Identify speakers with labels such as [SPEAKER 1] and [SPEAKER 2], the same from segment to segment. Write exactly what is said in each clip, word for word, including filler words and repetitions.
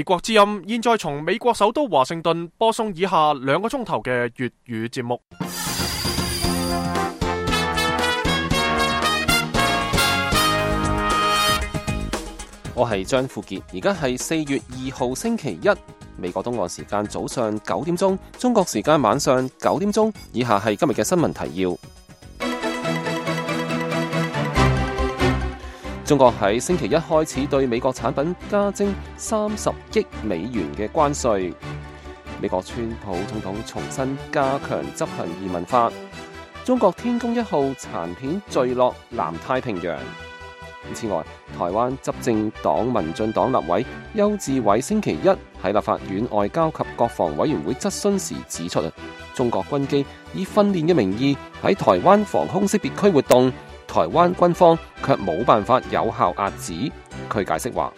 [SPEAKER 1] 美國之音現在從美國首都華盛頓播送以下兩個鐘頭嘅粵語節目。
[SPEAKER 2] 我係張富傑，而家係四月二號星期一，美國東岸時間早上九點鐘，中國時間晚上九點鐘。以下係今日嘅新聞提要。中國喺星期一開始對美國產品加徵三十億美元嘅關稅。美國川普總統重新加強執行移民法。中國天宮一號殘片墜落南太平洋。此外，台灣執政黨民進黨立委邱志偉星期一喺立法院外交及國防委員會質詢時指出，中國軍機以訓練嘅名義喺台灣防空識別區活動，台灣軍方卻冇辦法有效遏止。佢解釋話，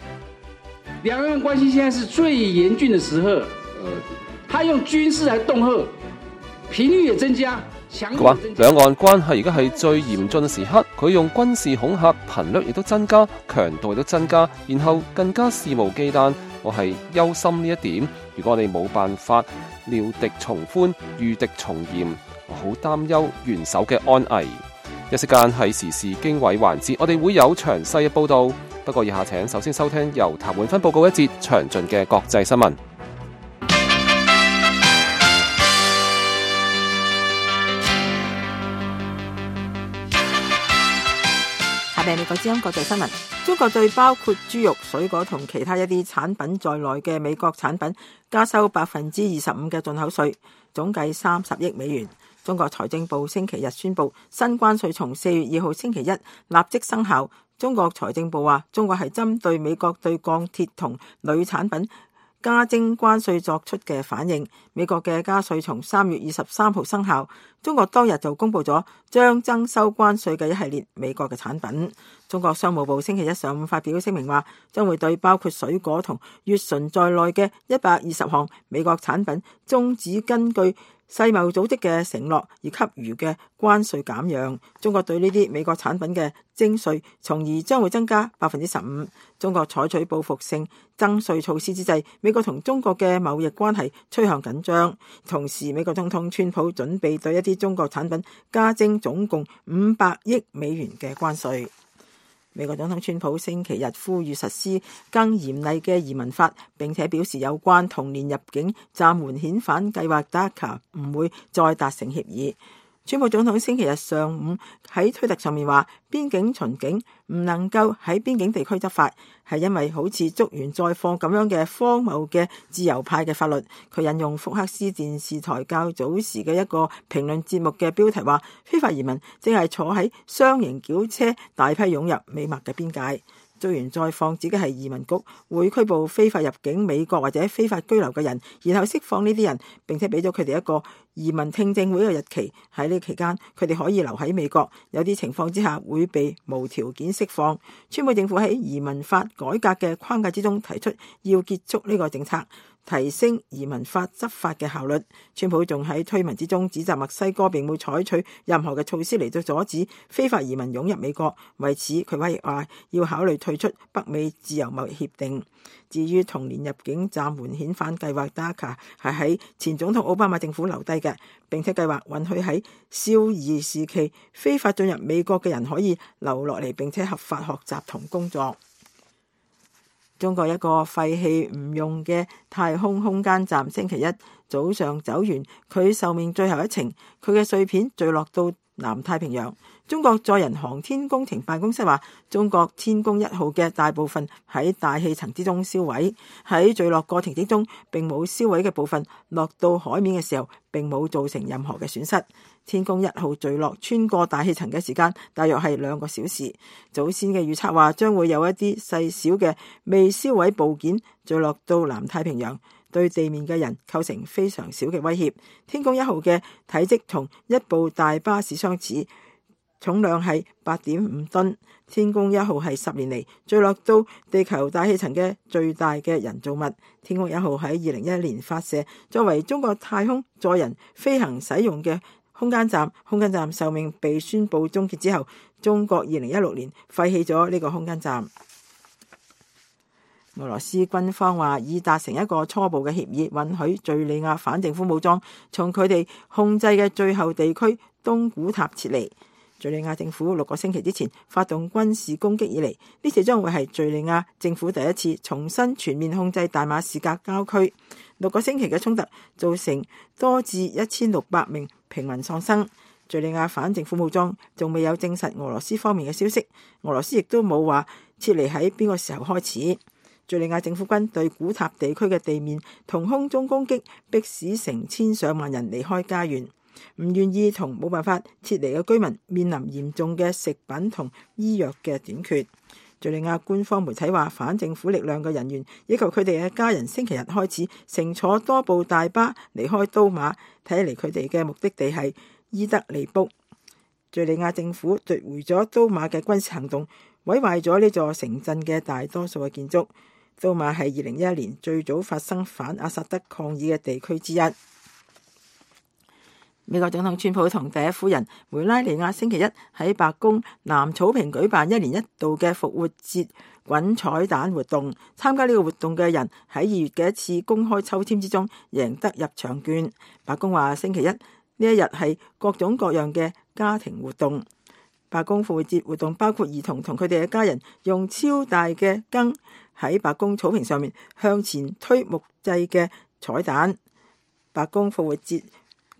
[SPEAKER 3] 兩岸關係現在是最嚴峻的時候，呃，他用軍事來恫嚇，頻率也增加。佢
[SPEAKER 2] 話兩岸關係而家係最嚴峻嘅時刻，佢用軍事恐嚇頻率亦都增加，強度亦都增加，然後更加肆無忌憚。我係憂心呢一點，如果我哋冇辦法料敵從寬，御敵從嚴，我好擔憂元首嘅安危。一時間係時事經緯環節，我哋會有詳細嘅報道。不過以下請首先收聽由譚永芬報告一節詳盡嘅國際新聞。
[SPEAKER 4] 美國之音國際新聞：中國對包括豬肉、水果同其他一啲產品在內嘅美國產品加收百分之二十五嘅進口稅，總計三十億美元。中國財政部星期日宣布，新關稅從四月二號星期一立即生效。中國財政部話，中國係針對美國對鋼鐵同鋁產品加徵關稅作出嘅反應。美國嘅加稅從三月二十三號生效，中國當日就公布咗將徵收關稅嘅一系列美國嘅產品。中國商務部星期一上午發表聲明話，將會對包括水果同乙醇在內嘅一百二十項美國產品終止根據世貿組織嘅承諾而給予嘅關稅減讓。中國對呢啲美國產品嘅徵稅，從而將會增加百分之十五。中國採取報復性增稅措施之際，美國同中國嘅貿易關係趨向緊張。同時，美國總統川普準備對一啲中國產品加徵總共五百億美元嘅關稅。美國總統川普星期日呼籲實施更嚴厲嘅移民法，並且表示有關童年入境暫緩遣返計劃 D A C A 唔會再達成協議。川普總統星期日上午喺推特上面話，邊境巡警唔能夠喺邊境地區執法，係因為好似捉完再放咁樣嘅荒謬嘅自由派嘅法律。佢引用福克斯電視台較早時嘅一個評論節目嘅標題話，非法移民正係坐喺雙型轎車大批湧入美墨嘅邊界。捉完再放指嘅係移民局會拘捕非法入境美國或者非法居留嘅人，然後釋放呢啲人，並且俾咗佢哋一個移民聽證會嘅日期。喺呢期間，佢哋可以留喺美國，有啲情況之下會被無條件釋放。川普政府喺移民法改革嘅框架之中提出要結束呢個政策，提升移民法執法嘅效率。川普仲喺推文之中指責墨西哥並冇採取任何嘅措施嚟到阻止非法移民湧入美國，為此佢話話要考慮退出北美自由貿易協定。至於童年入境暫緩遣返計劃 D A C A 係喺前總統奧巴馬政府留低嘅，並且計劃允許喺少兒時期非法進入美國嘅人可以留落嚟，並且合法學習同工作。中國一個廢棄唔用嘅太空空間站星期一早上走完佢壽命最後一程，佢嘅碎片墜落到南太平洋。中國載人航天工程辦公室話，中國天宮一號嘅大部分喺大氣層之中燒毀，喺墜落過程之中並冇燒毀嘅部分落到海面嘅時候並冇造成任何嘅損失。天宮一號墜落穿過大氣層嘅時間大約係兩個小時。早先嘅預測話將會有一啲細小嘅未燒毀部件墜落到南太平洋，對地面嘅人構成非常小嘅威脅。天宮一號嘅體積同一部大巴士相似，重量係八點五噸。天宮一號係十年嚟墜落到地球大氣層嘅最大嘅人造物。天宮一號喺二零一一年發射，作為中國太空載人飛行使用嘅空間站。空間站壽命被宣布終結之後，中國二零一六年廢棄咗呢個空間站。俄羅斯軍方話已達成一個初步嘅協議，允許敘利亞反政府武裝從佢哋控制嘅最後地區東古塔撤離。敘利亞政府六個星期之前發動軍事攻擊以嚟，呢次將會係敘利亞政府第一次重新全面控制大馬士革郊區。六個星期嘅衝突造成多至一千六百名平民喪生。敘利亞反政府武裝仲未有證實俄羅斯方面嘅消息，俄羅斯亦都冇話撤離喺邊個時候開始。敘利亞政府軍對古塔地區嘅地面同空中攻擊，迫使成千上萬人離開家園，唔願意同冇辦法撤離嘅居民面臨嚴重嘅食品同醫藥嘅短缺。敘利亞官方媒體話，反政府力量嘅人員以及佢哋嘅家人星期日開始乘坐多部大巴離開都馬，睇嚟佢哋嘅目的地係伊德利卜。敘利亞政府奪回咗都馬嘅軍事行動，毀壞咗呢座城鎮嘅大多數嘅建築。都馬係二零一一年最早發生反阿薩德抗議嘅地區之一。美國總統川普同第一夫人梅拉尼亞星期一喺白宮南草坪舉辦一年一度嘅復活節滾彩彈活動，參加呢個活動嘅人喺二月嘅一次公開抽籤之中贏得入場券。白宮話星期一呢一日係各種各樣嘅家庭活動。白宮復活節活動包括兒童同佢哋嘅家人用超大嘅羹喺白宮草坪上面向前推木製嘅彩彈。白宮復活節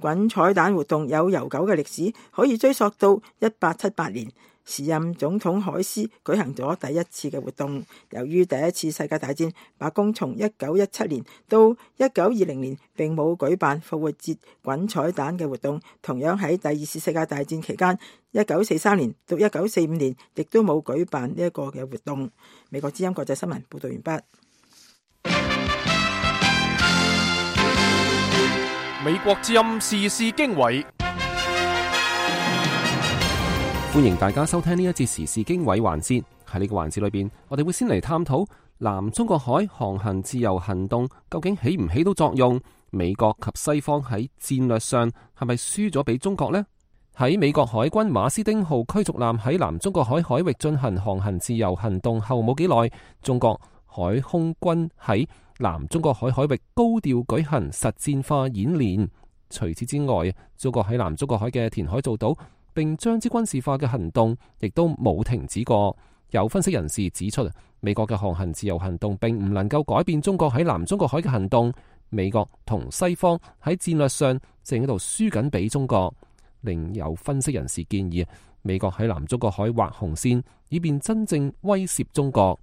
[SPEAKER 4] 滾彩彈活動有悠久嘅歷史，可以追溯到一八七八年，時任總統海斯舉行咗第一次嘅活動。由於第一次世界大戰，白宮從一九一七年到一九二零年並冇舉辦復活節滾彩彈嘅活動。同樣喺第二次世界大戰期間，一九四三年到一九四五年亦都冇舉辦呢一個嘅活動。美國之音國際新聞報道完畢。
[SPEAKER 1] 美國之音時事經緯，
[SPEAKER 2] 歡迎大家收聽呢一節時事經緯環節。喺呢個環節裏邊，我哋會先嚟探討南中國海航行自由行動究竟起唔起到作用？美國及西方喺戰略上係咪輸咗俾中國呢？喺美國海軍馬斯丁號驅逐艦喺南中國海海域進行航行自由行動後冇幾耐，中國海空軍喺南中國海海域高調舉行實戰化演練。除此之外，中國喺南中國海嘅填海造島並將之軍事化嘅行動亦都冇停止過。有分析人士指出，美國嘅航行自由行動並唔能夠改變中國喺南中國海嘅行動。美國同西方喺戰略上正喺度輸緊俾中國。另有分析人士建議，美國喺南中國海劃紅線，以便真正威懾中國。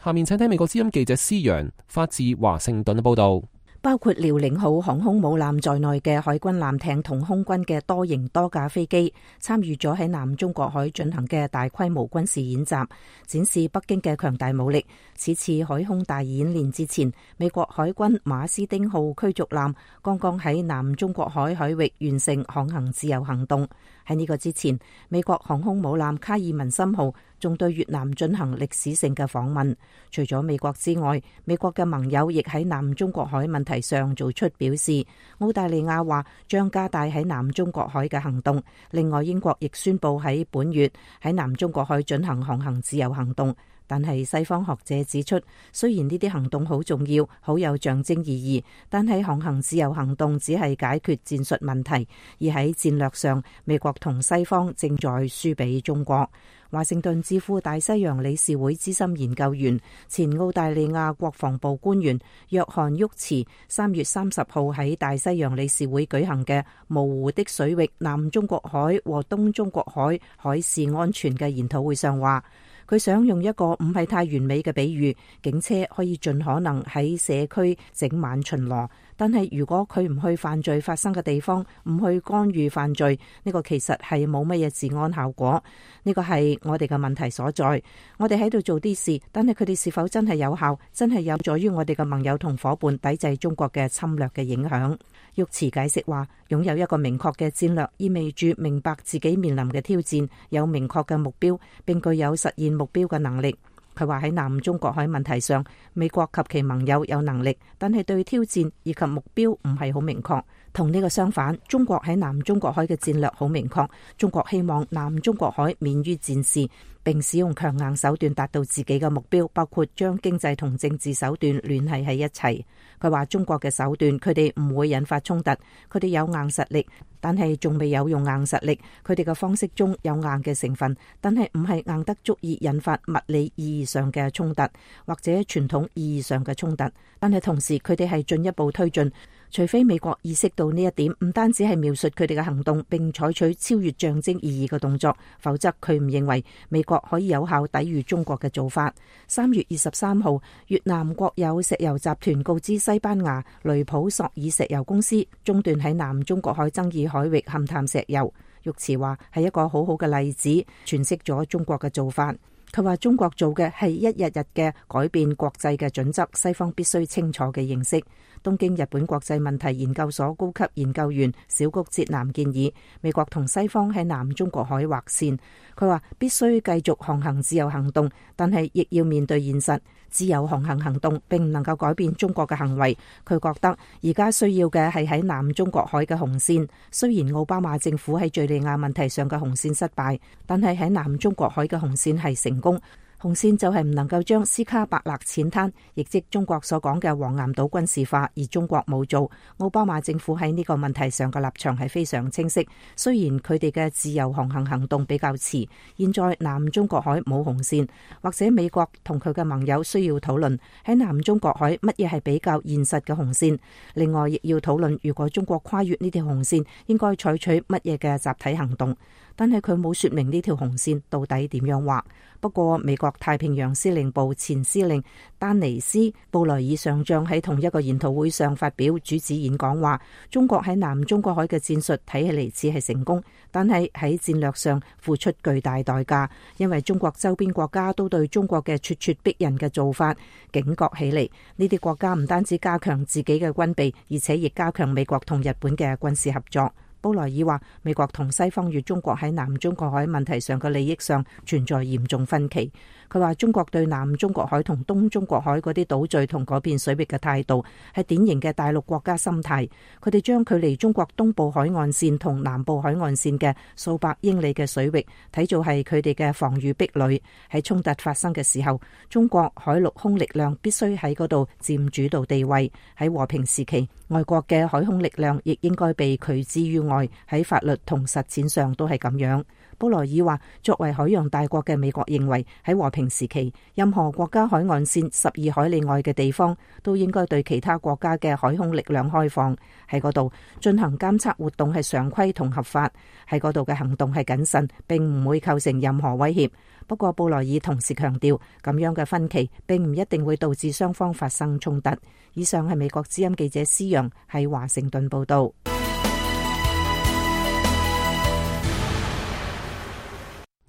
[SPEAKER 2] 下面請聽美國之音記者施洋發自華盛頓嘅報道。
[SPEAKER 5] 包括遼寧號航空母艦在內嘅海軍艦艇同空軍嘅多型多架飛機參與咗喺南中國海進行嘅大規模軍事演習，展示北京嘅強大武力。此次海空大演練之前，美國海軍馬斯丁號驅逐艦剛剛喺南中國海海域完成航行自由行動。喺呢個之前，美國航空母艦卡爾文森號仲對越南進行歷史性嘅訪問。除咗美國之外，美國嘅盟友亦喺南中國海問題上做出表示。澳大利亞話將加大喺南中國海嘅行動。另外，英國亦宣布喺本月喺南中國海進行航行自由行動。但係西方學者指出，雖然呢啲行動好重要，好有象徵意義，但係航行自由行動只係解決戰術問題，而喺戰略上，美國同西方正在輸俾中國。華盛頓智庫大西洋理事會資深研究員、前澳大利亞國防部官員約翰沃茨三月三十號喺大西洋理事會舉行嘅模糊的水域南中國海和東中國海海事安全嘅研討會上話，佢想用一個唔係太完美嘅比喻，警車可以盡可能喺社區整晚巡邏，但係如果佢唔去犯罪發生嘅地方，唔去干預犯罪，呢個其實係冇乜嘢治安效果。呢個係我哋嘅問題所在。我哋喺度做啲事，但係佢哋是否真係有效，真係有助於我哋嘅盟友同伙伴抵制中國嘅侵略嘅影響？沃茨解釋話，擁有一個明確嘅戰略，意味住明白自己面臨嘅挑戰，有明確嘅目標，並具有實現目標嘅能力。佢話喺南中國海問題上，美國及其盟友有能力，但係對挑戰以及目標唔係好明確。同呢個相反，中國喺南中國海嘅戰略好明確，中國希望南中國海免於戰事，並使用強硬手段達到自己嘅目標，包括將經濟同政治手段聯繫喺一齊。佢話中國嘅手段，佢哋唔會引發衝突，佢哋有硬實力，但係仲未有用硬實力。佢哋嘅方式中有硬嘅成分，但係唔係硬得足以引發物理意義上嘅衝突，或者傳統意義上嘅衝突。但係同時，佢哋係進一步推進。除非美國意識到呢一點，唔單止係描述佢哋嘅行動，並採取超越象徵意義嘅動作，否則佢唔認為美國可以有效抵禦中國嘅做法。三月二十三號，越南國有石油集團告知西班牙雷普索爾石油公司中斷喺南中國海爭議海域勘探石油。玉池話係一個好好嘅例子，詮釋咗中國嘅做法。佢話中國做嘅係一日日嘅改變國際嘅準則，西方必須清楚嘅認識。東京日本國際問題研究所高級研究員小谷哲男建議美國同西方喺南中國海劃線。佢話必須繼續航行自由行動，但係亦要面對現實，自由航行行動並唔能夠改變中國嘅行為。佢覺得而家需要嘅係喺南中國海嘅紅線。雖然奧巴馬政府喺敘利亞問題上嘅紅線失敗，但係喺南中國海嘅紅線係成功。紅線就係唔能夠將斯卡伯勒淺灘，亦即中國所講嘅黃岩島軍事化，而中國冇做。奧巴馬政府喺呢個問題上嘅立場係非常清晰。雖然佢哋嘅自由航行行動比較遲，現在南中國海冇紅線，或者美國同佢嘅盟友需要討論喺南中國海乜嘢係比較現實嘅紅線。另外，亦要討論如果中國跨越呢條紅線，應該採取乜嘢嘅集體行動。但係佢冇說明呢條紅線到底點樣畫。不過美國太平洋司令部前司令丹尼斯布萊爾上將喺同一個研討會上發表主旨演講，話中國喺南中國海嘅戰術睇起嚟似係成功，但係喺戰略上付出巨大代價，因為中國周邊國家都對中國嘅咄咄逼人嘅做法警覺起嚟。呢啲國家唔單止加強自己嘅軍備，而且亦加強美國同日本嘅軍事合作。布萊爾話美國同西方與中國喺南中國海問題上嘅利益上存在嚴重分歧。佢話中國對南中國海同東中國海嗰啲島嶼同嗰邊水域嘅態度係典型嘅大陸國家心態。佢哋將距離中國東部海岸線同南部海岸線嘅數百英里嘅水域睇做係佢哋嘅防禦壁壘。喺衝突發生嘅時候，中國海陸空力量必須喺嗰度佔主導地位。喺和平時期，外國嘅海空力量亦應該被拒之於外。喺法律同實踐上都係咁樣。布萊爾話，作為海洋大國嘅美國認為喺和平時期，任何國家海岸線十二海里外嘅地方都應該對其他國家嘅海空力量開放，喺嗰度進行監測活動係常規同合法，喺嗰度嘅行動係謹慎，並唔會構成任何威脅。不過布萊爾同時強調，咁樣嘅分歧並唔一定會導致雙方發生衝突。以上係美國之音記者施陽喺華盛頓報道。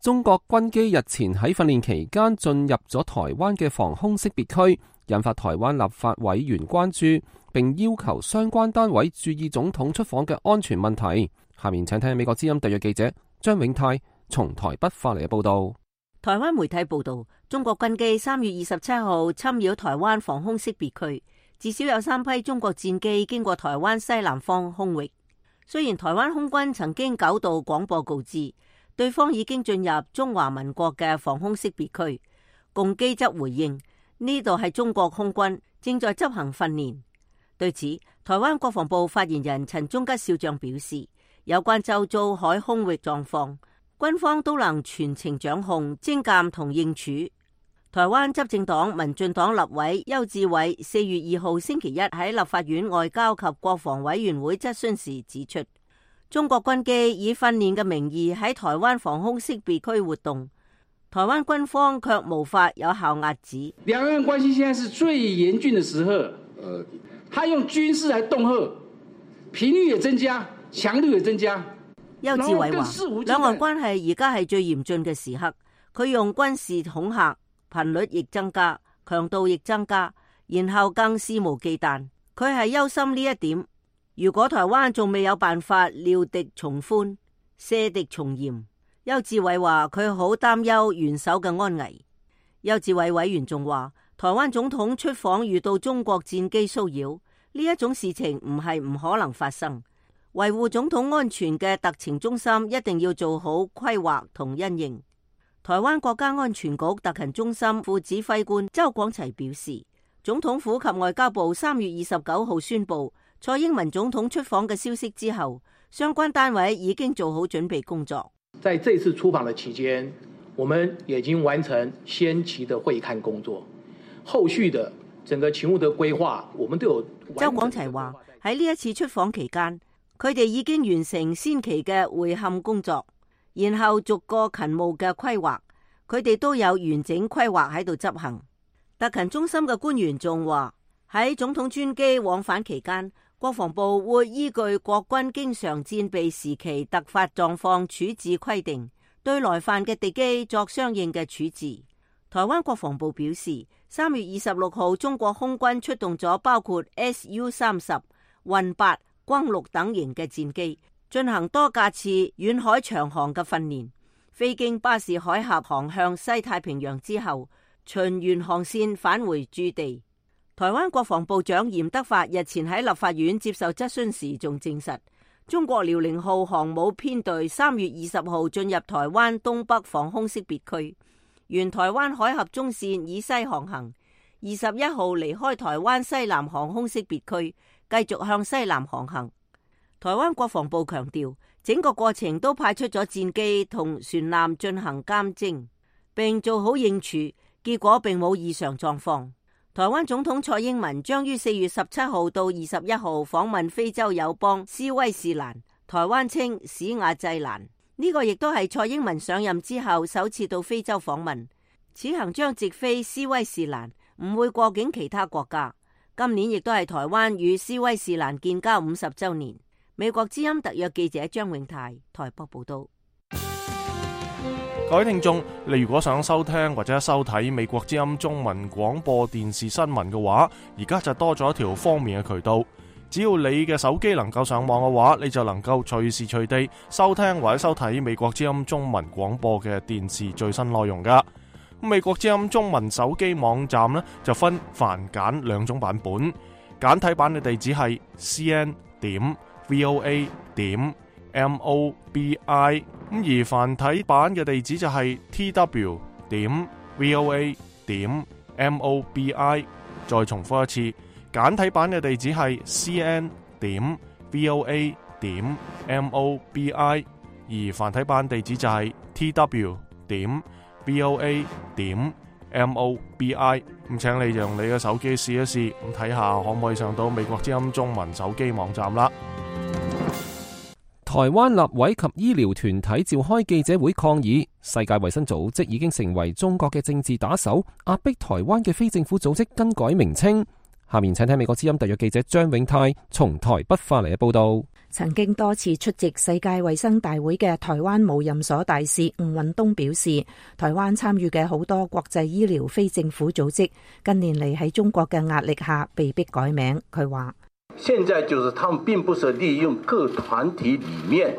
[SPEAKER 2] 中國軍機日前喺訓練期間進入咗台灣嘅防空識別區，引發台灣立法委員關注，並要求相關單位注意總統出訪嘅安全問題。下面請聽美國之音特約記者張永泰從台北發嚟嘅報道。
[SPEAKER 6] 台灣媒體報道，中國軍機三月二十七號侵擾台灣防空識別區，至少有三批中國戰機經過台灣西南方空域。雖然台灣空軍曾經九度廣播告知對方已經進入中華民國嘅防空識別區，共機則回應呢度係中國空軍正在執行訓練。對此，台灣國防部發言人陳忠吉少將表示，有關周遭海空域狀況，軍方都能全程掌控、偵監同應處。台灣執政黨民進黨立委邱志偉四月二號星期一喺立法院外交及國防委員會質詢時指出，中國軍機以訓練嘅名義喺台灣防空識別區活動，台灣軍方卻無法有效遏止。
[SPEAKER 3] 兩岸關係現在是最嚴峻的時候，呃，他用軍事來恫嚇，頻率也增加，強度也增加。
[SPEAKER 6] 邱志偉話，兩岸關係而家係最嚴峻嘅時刻，佢用軍事恐嚇，頻率亦增加，強度亦增加，然後更肆無忌憚。佢係憂心呢一點。如果台灣仲未有辦法料敵從寬、射敵從嚴，邱志偉話佢好擔憂元首嘅安危。邱志偉委員仲話，台灣總統出訪遇到中國戰機騷擾，呢一種事情唔係唔可能發生，維護總統安全嘅特情中心一定要做好規劃同因應。台灣國家安全局特勤中心副指揮官周廣齊表示，總統府及外交部三月二十九號宣布蔡英文總統出訪嘅消息之後，相關單位已經做好準備工作。
[SPEAKER 7] 在這次出訪的期間，我們已經完成先期的會勘工作，後續的整個勤務的規劃，我們都有。
[SPEAKER 6] 周廣齊話喺呢一次出訪期間，佢哋已經完成先期嘅會勘工作，然後逐個勤務嘅規劃，佢哋都有完整規劃喺度執行。特勤中心嘅官員仲話喺總統專機往返期間，國防部會依據國軍經常戰備時期突發狀況處置規定，對來犯嘅敵機作相應嘅處置。台灣國防部表示，三月二十六號中國空軍出動咗包括 S U 三十、運八、轟六等型嘅戰機，進行多架次遠海長航嘅訓練。飛經巴士海峽航向西太平洋之後，循原航線返回駐地。台灣國防部長嚴德發日前喺立法院接受質詢時，仲證實中國遼寧號航母編隊三月二十號進入台灣東北防空識別區，沿台灣海峽中線以西航行。二十一號離開台灣西南航空識別區，繼續向西南航行。台灣國防部強調，整個過程都派出咗戰機同船艦進行監偵，並做好應處。結果並冇異常狀況。台灣總統蔡英文將於四月十七號到二十一號訪問非洲友邦斯威士蘭，台灣稱史瓦濟蘭。呢個亦都係蔡英文上任之後首次到非洲訪問。此行將直飛斯威士蘭，唔會過境其他國家。今年亦都係台灣與斯威士蘭建交五十週年。美國之音特約記者張永泰台北報道。
[SPEAKER 1] 各位聽眾，你如果想收聽或者收睇美國之音中文廣播電視新聞嘅話，而家就多咗一條方便嘅渠道。只要你嘅手機能夠上網嘅話，你就能夠隨時隨地收聽或者收睇美國之音中文廣播嘅電視最新內容噶。美國之音中文手機網站呢，就分繁簡兩種版本，簡體版嘅地址係 c n 點 v o a 點 m o b i。咁而繁體版嘅地址就係 t w 點 v o a 點 m o b i。再重複一次，簡體版嘅地址係 c n 點 v o a 點 m o b i， 而繁體版地址就係 t w 點 v o a 點 m o b i。咁請你用你嘅手機試一試，咁睇下可唔可以上到美國之音中文手機網站啦。
[SPEAKER 2] 台灣立委及醫療團體召開記者會抗議，世界衛生組織已經成為中國嘅政治打手，壓迫台灣嘅非政府組織更改名稱。下面請聽美國之音特約記者張永泰從台北發嚟嘅報道。
[SPEAKER 5] 曾經多次出席世界衛生大會嘅台灣無任所大使吳允東表示，台灣參與嘅好多國際醫療非政府組織近年嚟喺中國嘅壓力下被迫改名。佢話
[SPEAKER 8] 現在就是他們並不是利用各團體裏面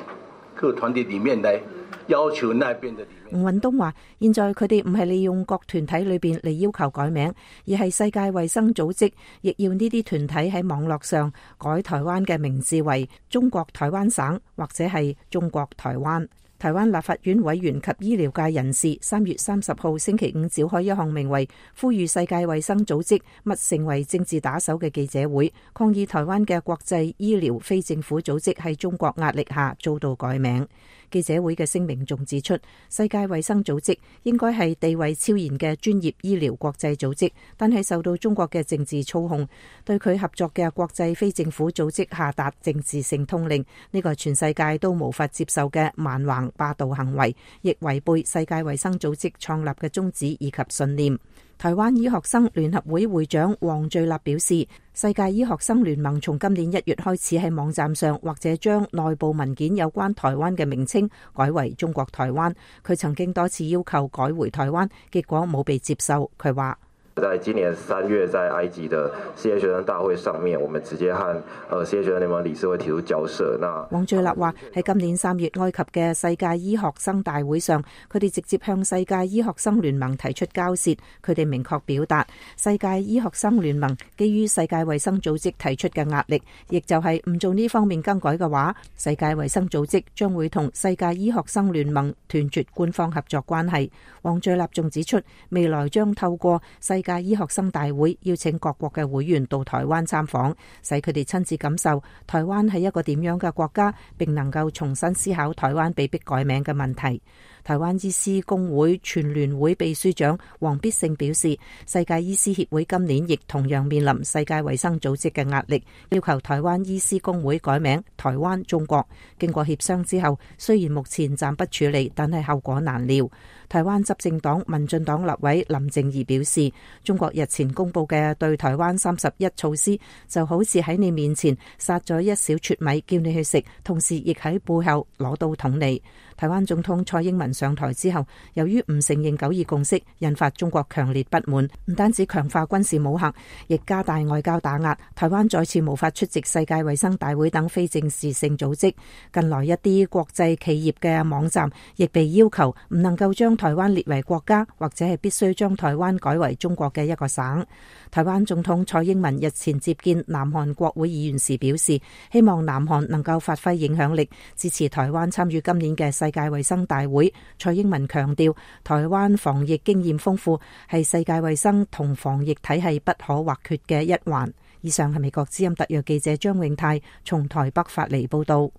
[SPEAKER 8] 各團體裏面來要求那邊的。
[SPEAKER 5] 吳允東話，現在佢哋唔係利用各團體裏邊嚟要求改名，而係世界衛生組織亦要呢啲團體喺網絡上改台灣嘅名字為中國台灣省或者係中國台灣。台灣立法院委員及醫療界人士三月三十號星期五召開一項名為呼籲世界衛生組織勿成為政治打手嘅記者會，抗議台灣嘅國際醫療非政府組織喺中國壓力下遭到改名。記者會嘅聲明仲指出，世界衛生組織應該係地位超然嘅專業醫療國際組織，但係受到中國嘅政治操控，對佢合作嘅國際非政府組織下達政治性通令，呢個全世界都無法接受嘅蠻橫霸道行為，亦違背世界衛生組織創立嘅宗旨以及信念。台灣醫學生聯合會會長黃聚立表示，世界醫學生聯盟從今年一月開始喺網站上或者將內部文件有關台灣嘅名稱改為中國台灣。佢曾經多次要求改回台灣，結果冇被接受。佢話
[SPEAKER 9] 在今年三月，在埃及的世界學生大會上面，我們直接和呃世界學生聯盟理事會提出交涉。那
[SPEAKER 5] 王敍立話喺今年三月埃及嘅世界醫學生大會上，佢哋直接向世界醫學生聯盟提出交涉。佢哋明確表達，世界醫學生聯盟基於世界衛生組織提出嘅壓力，亦就係唔做呢方面更改嘅話，世界衛生組織將會同世界醫學生聯盟斷絕官方合作關係。王敍立仲指出，未來將透過世界醫學生大會邀請各國嘅會員到台灣參訪，使佢哋親自感受台灣係一個點樣嘅國家，並能夠重新思考台灣被迫改名嘅問題。台灣醫師公會全聯會秘書長黃必勝表示，世界醫師協會今年亦同樣面臨世界衛生組織嘅壓力，要求台灣醫師公會改名台灣中國。經過協商之後，雖然目前暫不處理，但係後果難料。台灣執政黨民進黨立委林靜儀表示，中國日前公布嘅對台灣三十一措施，就好似喺你面前撒咗一小撮米叫你去食，同時亦喺背後攞刀捅你。台灣總統蔡英文上台之後，由於唔承認九二共識，引發中國強烈不滿，唔單止強化軍事武嚇，亦加大外交打壓。台灣再次無法出席世界衛生大會等非正式性組織。近來一啲國際企業嘅網站亦被要求唔能夠將台灣列為國家，或者係必須將台灣改為中國嘅一個省。台灣總統蔡英文日前接見南韓國會議員時表示，希望南韓能夠發揮影響力，支持台灣參與今年嘅世界衛生大會。蔡英文強調，台灣防疫經驗豐富，係世界衛生同防疫體系不可或缺嘅一環。以上係美國之音特約記者張永泰從台北發嚟報道。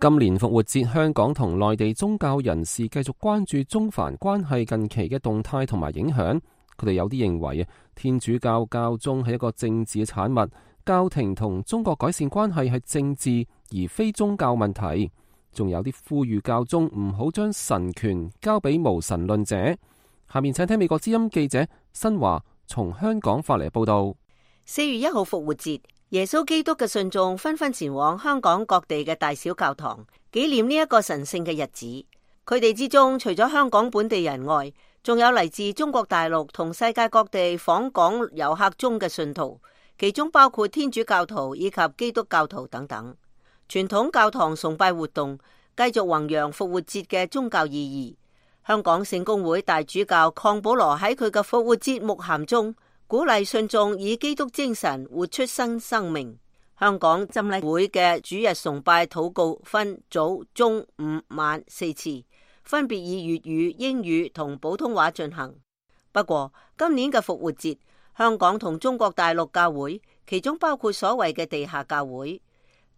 [SPEAKER 2] 今年復活節，香港同內地宗教人士繼續關注中梵關係近期嘅動態同埋影響。佢哋有啲認為啊，天主教教宗係一個政治嘅產物，教廷同中國改善關係係政治而非宗教問題。仲有啲呼籲教宗唔好將神權交俾無神論者。下面請聽美國之音記者新華從香港發嚟報道。
[SPEAKER 6] 四月一號復活節，耶穌基督嘅信眾紛紛前往香港各地嘅大小教堂，紀念呢一個神聖嘅日子。佢哋之中，除咗香港本地人外，仲有嚟自中國大陸同世界各地訪港遊客中嘅信徒，其中包括天主教徒以及基督教徒等等。傳統教堂崇拜活動繼續弘揚復活節嘅宗教意義。香港聖公會大主教鄺保羅喺佢嘅復活節牧函中，鼓勵信眾以基督精神活出新生命。香港浸禮會嘅主日崇拜禱告分早、中、午、晚四次，分別以粵語、英語同普通話進行。不過今年嘅復活節，香港同中國大陸教會，其中包括所謂嘅地下教會，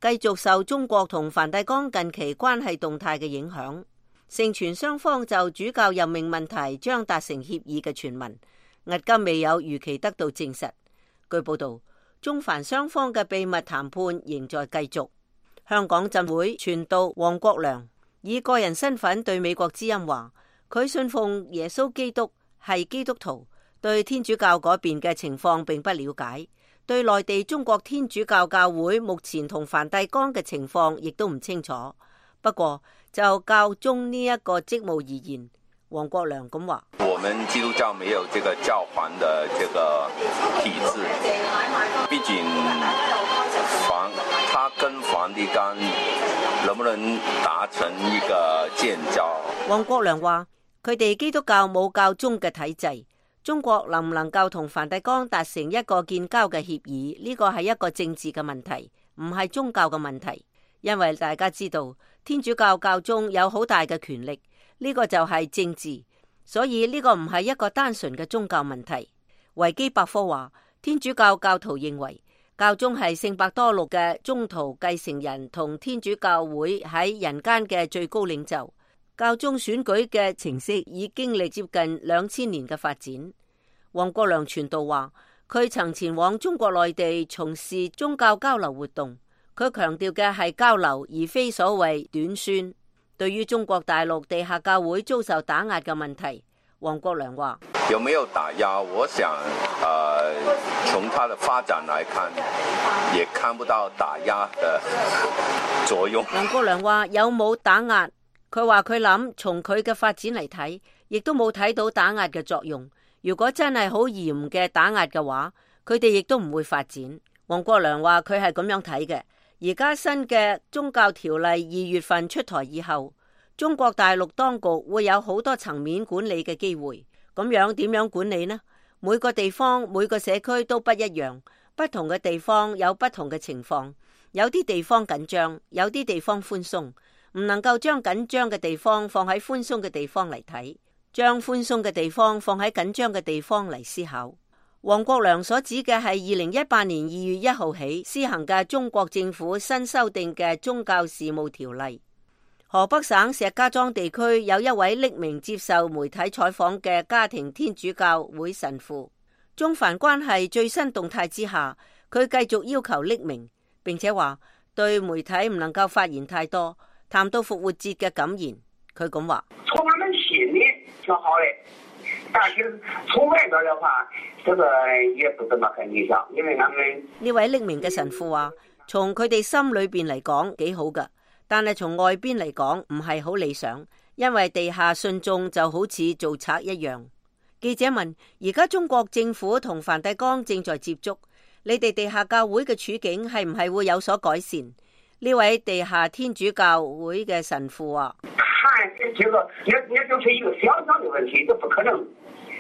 [SPEAKER 6] 繼續受中國同梵蒂岡近期關係動態嘅影響。盛傳雙方就主教任命問題將達成協議嘅傳聞，至今未有如期得到證實。據報道，中梵雙方嘅秘密談判仍在繼續。香港浸會傳道黃國良以個人身份對美國之音話，佢信奉耶穌基督，係基督徒，對天主教嗰邊嘅情況並不了解，對內地中國天主教教會目前同梵蒂岡嘅情況亦都唔清楚。不過就教宗呢一個職務而言，黃國良咁話：
[SPEAKER 10] 我們基督教沒有這個教皇的這個體制，畢竟梵他跟梵蒂岡能不能達成一個建交？
[SPEAKER 6] 黃國良話：佢哋基督教冇教宗嘅體制，中國能唔能夠同梵蒂岡達成一個建交嘅協議？呢個係一個政治嘅問題，唔係宗教嘅問題。因為大家知道天主教教宗有好大嘅權力，呢個就係政治，所以呢個唔係一個單純嘅宗教問題。維基百科話，天主教教徒認為教宗係聖伯多祿嘅宗徒繼承人同天主教會喺人間嘅最高領袖。教宗選舉嘅程式已經歷接近兩千年嘅發展。黃國良傳道話，佢曾前往中國內地從事宗教交流活動。佢強調嘅係交流，而非所謂短宣。對於中國大陸地下教會遭受打壓嘅問題，黃國良話：
[SPEAKER 10] 有沒有打壓？我想，呃，從它的發展來看，也看不到打壓的作用。
[SPEAKER 6] 黃國良話：有冇打壓？佢話佢諗從佢嘅發展嚟睇，亦都冇睇到打壓嘅作用。如果真係好嚴嘅打壓嘅話，佢哋亦都唔會發展。黃國良話佢係咁樣睇嘅。而家新嘅宗教條例二月份出台以後，中國大陸當局會有好多層面管理嘅機會。咁樣點樣管理呢？每個地方每個社區都不一樣，不同嘅地方有不同嘅情況，有啲地方緊張，有啲地方寬鬆，唔能夠將緊張嘅地方放喺寬鬆嘅地方嚟睇，將寬鬆嘅地方放喺緊張嘅地方嚟思考。黃國良所指嘅係二零一八年二月一號起施行嘅中國政府新修訂嘅宗教事務條例。河北省石家莊地區有一位匿名接受媒體採訪嘅家庭天主教會神父，中梵關係最新動態之下，佢繼續要求匿名，並且話對媒體唔能夠發言太多。談到復活節嘅感言，佢咁話：
[SPEAKER 11] 從他們心裏挺好的，但是從外邊的話，這個也不怎麼很理想，因為他們
[SPEAKER 6] 呢位匿名嘅神父話，從佢哋心裏邊嚟講幾好噶。但係從外邊嚟講唔係好理想，因為地下信眾就好似做賊一樣。記者問：而家中國政府同梵蒂岡正在接觸，你哋地下教會嘅處境係唔係會有所改善？呢位地下天主教會嘅神父話：
[SPEAKER 11] 看這個也也就是一個小小的問題，這不可能，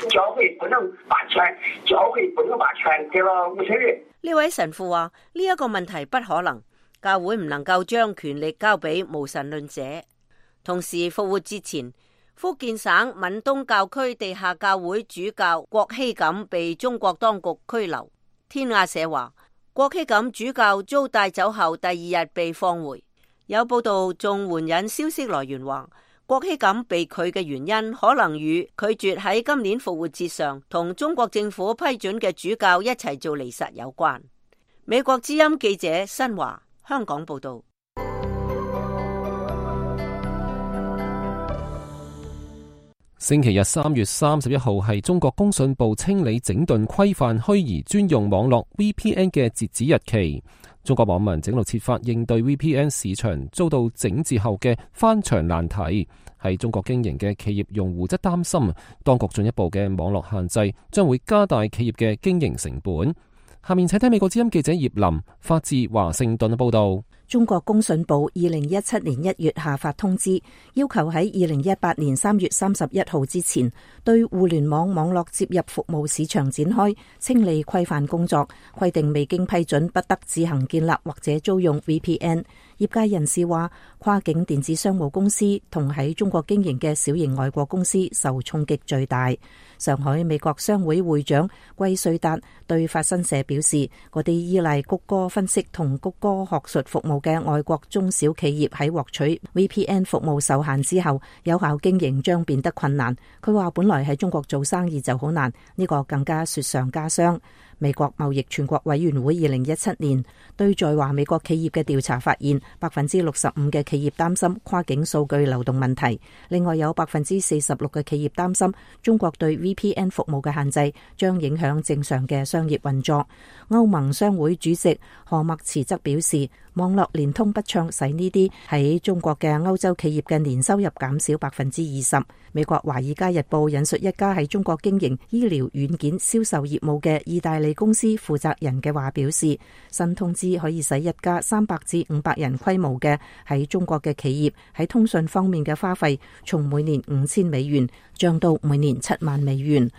[SPEAKER 11] 教會不能把權，教會不能把權給了無神論。
[SPEAKER 6] 呢位神父話：呢一個問題不可能。教會唔能夠將權力交俾無神論者。同時復活節前，福建省閩東教區地下教會主教郭希錦被中國當局拘留。天亞社話，郭希錦主教遭帶走後第二日被放回。有報道仲援引消息來源話，郭希錦被拒嘅原因可能與拒絕喺今年復活節上同中國政府批准嘅主教一齊做彌撒有關。美國之音記者新華香港報道。
[SPEAKER 2] 星期日三月三十一號係中國工信部清理整頓規範虛擬專用網絡 V P N 嘅截止日期。中國網民整路設法應對 V P N 市場遭到整治後嘅翻牆難題，係中國經營嘅企業用戶則擔心，當局進一步嘅網絡限制將會加大企業嘅經營成本。下面請睇美國之音記者葉林發自華盛頓嘅報道。
[SPEAKER 5] 中國工信部二零一七年一月下發通知，要求喺二零一八年三月三十一號之前，對互聯網網絡接入服務市場展開清理規範工作，規定未經批准不得自行建立或者租用 V P N。業界人士話，跨境電子商務公司同喺中國經營嘅小型外國公司受衝擊最大。上海美國商會會長季瑞達對法新社表示，嗰啲依賴谷歌分析同谷歌學術服務嘅外國中小企業喺獲取 V P N 服務受限之後，有效經營將變得困難。佢話本來喺中國做生意就好難，呢個更加雪上加霜。美國貿易全國委員會二零一七年對在華美國企業嘅調查發現，百分之六十五嘅企業擔心跨境數據流動問題。另外有百分之四十六嘅企業擔心中國對 V P N 服務嘅限制將影響正常嘅商業運作。歐盟商會主席何默茨則表示，網絡連通不暢使呢啲喺中國嘅歐洲企業嘅年收入減少百分之二十。美國華爾街日報引述一家喺中國經營醫療軟件銷售業務嘅意大利公司負責人嘅話表示，新通知可以使一家三百至五百人規模嘅喺中國嘅企業喺通訊方面嘅花費從每年五千美元漲到每年七萬美元。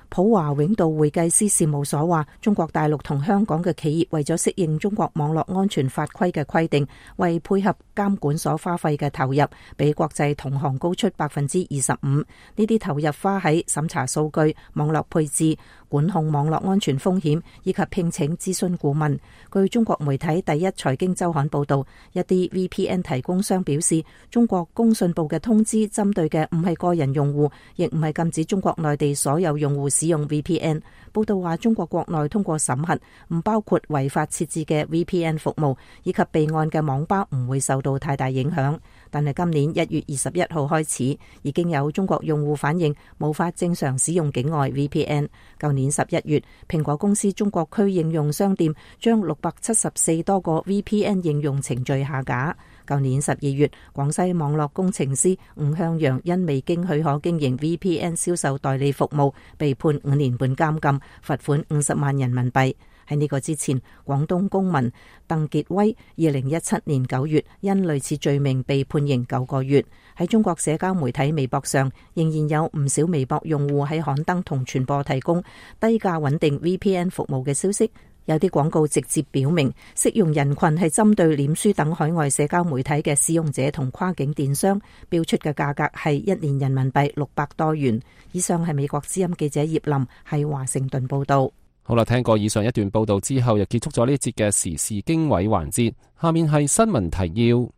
[SPEAKER 5] 普華永道會計師事務所話，中國大陸同香港嘅企業為咗適應中國網絡安全法規嘅規定，為配合監管所花費嘅投入，比國際同行高出百分之二十五。呢啲投入花喺審查數據、網絡配置、管控網絡安全風險以及聘請諮詢顧問。據中國媒體第一財經週刊報道，一啲 V P N 提供商表示，中國工信部嘅通知針對嘅唔係個人用戶，亦唔係禁止中國內地所有用戶使用 V P N。報道話，中國國內通過審核，唔包括違法設置嘅 V P N 服務，以及備案嘅網吧唔會受到太大影響。但係今年一月二十一號開始，已經有中國用戶反映無法正常使用境外 V P N。舊年十一月，蘋果公司中國區應用商店將六百七十四多個 V P N 應用程序下架。舊年十二月，廣西網絡工程師吳向陽因未經許可經營 V P N 銷售代理服務，被判五年半監禁，罰款五十萬人民幣。喺呢個之前，廣東公民鄧傑威二零一七年九月因類似罪名被判刑九個月。喺中國社交媒體微博上，仍然有唔少微博用戶喺刊登同傳播提供低價穩定 V P N 服務嘅消息。有啲廣告直接表明適用人群係針對臉書等海外社交媒體嘅使用者同跨境電商，標出嘅價格係一年人民幣六百多元。以上係美國之音記者葉林喺華盛頓報道。
[SPEAKER 2] 好啦，聽過以上一段報道之後，又結束咗呢一節嘅時事經緯環節。下面係新聞提要。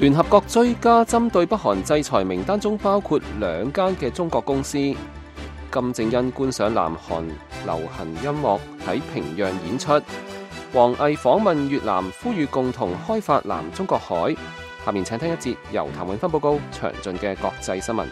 [SPEAKER 2] 聯合國追加針對北韓制裁名單中包括兩間嘅中國公司。金正恩觀賞南韓流行音樂喺平壤演出。王毅訪問越南，呼籲共同開發南中國海。下面請聽一節由譚永芬報告詳盡嘅國際新聞。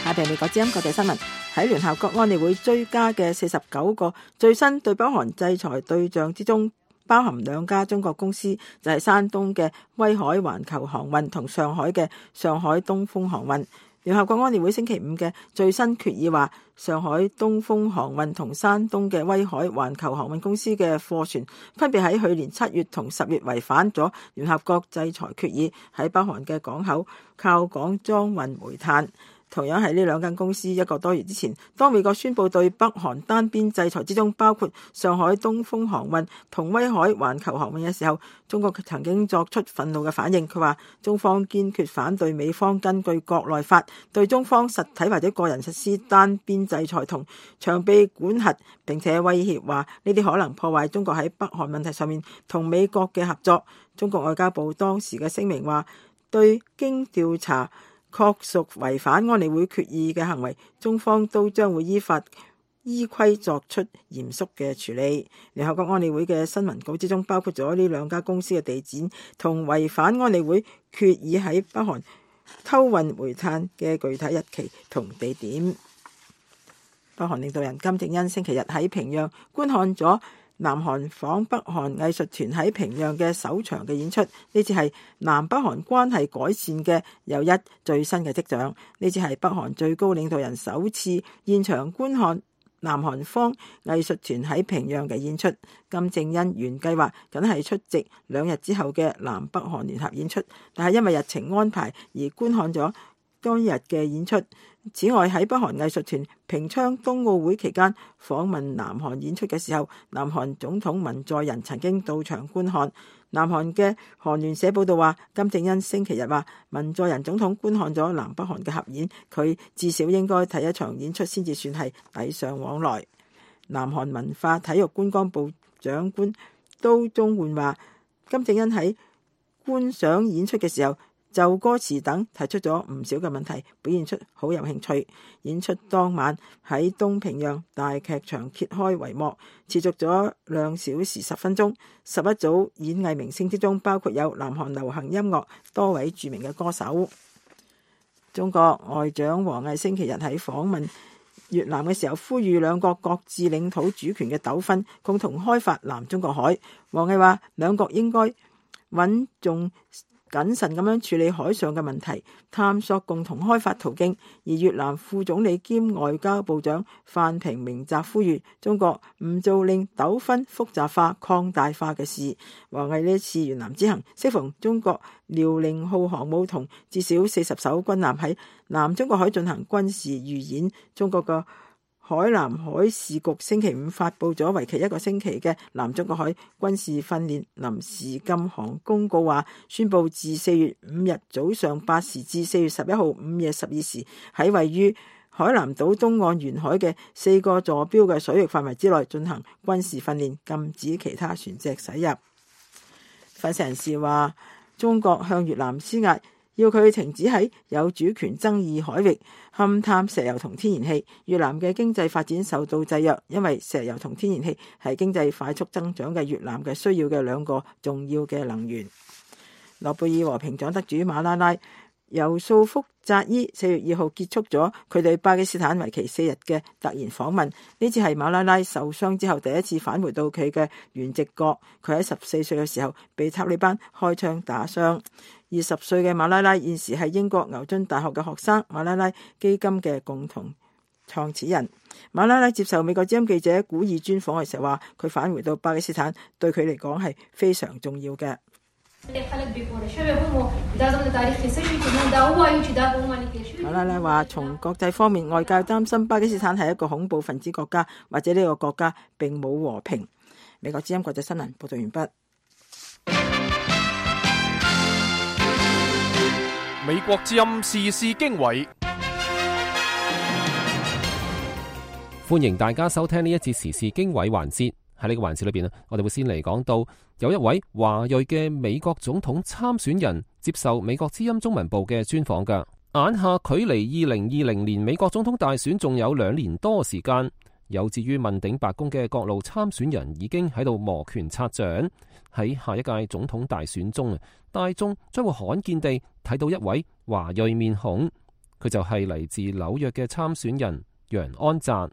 [SPEAKER 4] 下邊美國之音國際新聞。喺聯合國安理會追加嘅四十九個最新對北韓制裁對象之中，包含兩家中國公司，就係山東嘅威海環球航運同上海嘅上海東風航運。聯合國安理會星期五嘅最新決議話，上海東風航運同山東嘅威海環球航運公司嘅貨船分別喺去年七月同十月違反咗聯合國制裁決議，喺北韓嘅港口靠港裝運煤炭。同樣係呢兩間公司，一個多月之前，當美國宣布對北韓單邊制裁之中包括上海東風航運同威海環球航運嘅時候，中國曾經作出憤怒嘅反應。佢話中方堅決反對美方根據國內法對中方實體或者個人實施單邊制裁同長臂管轄，並且威脅話呢啲可能破壞中國喺北韓問題上面同美國嘅合作。中國外交部當時嘅聲明話，對經調查確屬違反安理會決議嘅行為，中方都將會依法依規作出嚴肅嘅處理。聯合國安理會嘅新聞稿之中包括咗呢兩家公司嘅地址同違反安理會決議喺北韓偷運煤炭嘅具體日期同地點。北韓領導人金正恩星期日喺平壤觀看咗南韓訪北韓藝術團喺平壤嘅首場嘅演出，呢次係南北韓關係改善嘅又一最新嘅跡象。呢次係北韓最高領導人首次現場觀看南韓方藝術團喺平壤嘅演出。金正恩原計劃僅係出席兩日之後嘅南北韓聯合演出，但係因為日程安排而觀看咗當日嘅演出。此外，喺北韓藝術團平昌冬奧會期間訪問南韓演出嘅時候，南韓總統文在寅曾經到場觀看。南韓嘅韓聯社報道話，金正恩星期日話文在寅總統觀看咗南北韓嘅合演，佢至少應該睇一場演出先至算係禮尚往來。南韓文化體育觀光部長官都中煥話，金正恩喺觀賞演出嘅時候就歌詞等提出咗唔少嘅問題，表現出好有興趣。演出當晚喺東平壤大劇場揭開帷幕，持續咗兩小時十分鐘。十一組演藝明星之中，包括有南韓流行音樂多位著名嘅歌手。中國外長王毅星期日喺訪問越南嘅時候，呼籲兩國各自領土主權嘅糾紛，共同開發南中國海。王毅話，兩國應該穩重謹慎咁樣處理海上嘅問題，探索共同開發途徑。而越南副總理兼外交部長范平明澤呼籲中國唔做令糾紛複雜化、擴大化嘅事。王毅呢次越南之行，適逢中國遼寧號航母同至少四十艘軍艦喺南中國海進行軍事預演。中國嘅海南海事局星期五發佈咗為期一個星期嘅南中國海軍事訓練臨時禁航公告，話宣布自四月五日早上八時至四月十一號午夜十二時，喺位於海南島東岸沿海嘅四個坐標嘅水域範圍之內進行軍事訓練，禁止其他船隻駛入。分析人士話，中國向越南施壓，要佢停止喺有主權爭議海域勘探石油同天然氣。越南嘅經濟發展受到制約，因為石油同天然氣係經濟快速增長嘅越南嘅需要嘅兩個重要嘅能源。諾貝爾和平獎得主馬拉拉由訴複扎伊四月二號結束咗佢對巴基斯坦為期四日嘅突然訪問，呢次係馬拉拉受傷之後第一次返回到佢嘅原籍國。佢喺十四歲嘅時候被塔利班開槍打傷。二十歲嘅馬拉拉現時係英國牛津大學嘅學生，馬拉拉基金嘅共同創始人。馬拉拉接受美國之音記者古爾專訪嘅時候話，佢返回到巴基斯坦對佢嚟講係非常重要嘅。馬拉拉話，從國際方面，外界擔心巴基斯坦係一個恐怖分子國家，或者呢個國家並冇和平。美國之音國際新聞報道完畢。
[SPEAKER 1] 美國之音時事經緯，
[SPEAKER 2] 歡迎大家收聽呢一節時事經緯環節。喺呢個環節裏邊，我哋會先嚟講到有一位華裔嘅美國總統參選人接受美國之音中文部嘅專訪㗎。眼下距離二零二零年美國總統大選仲有兩年多時間，有志於問鼎白宮嘅各路參選人已經喺度摩拳擦掌。喺下一屆總統大選中啊，大眾將會罕見地睇到一位華裔面孔，佢就係嚟自紐約嘅參選人楊安澤。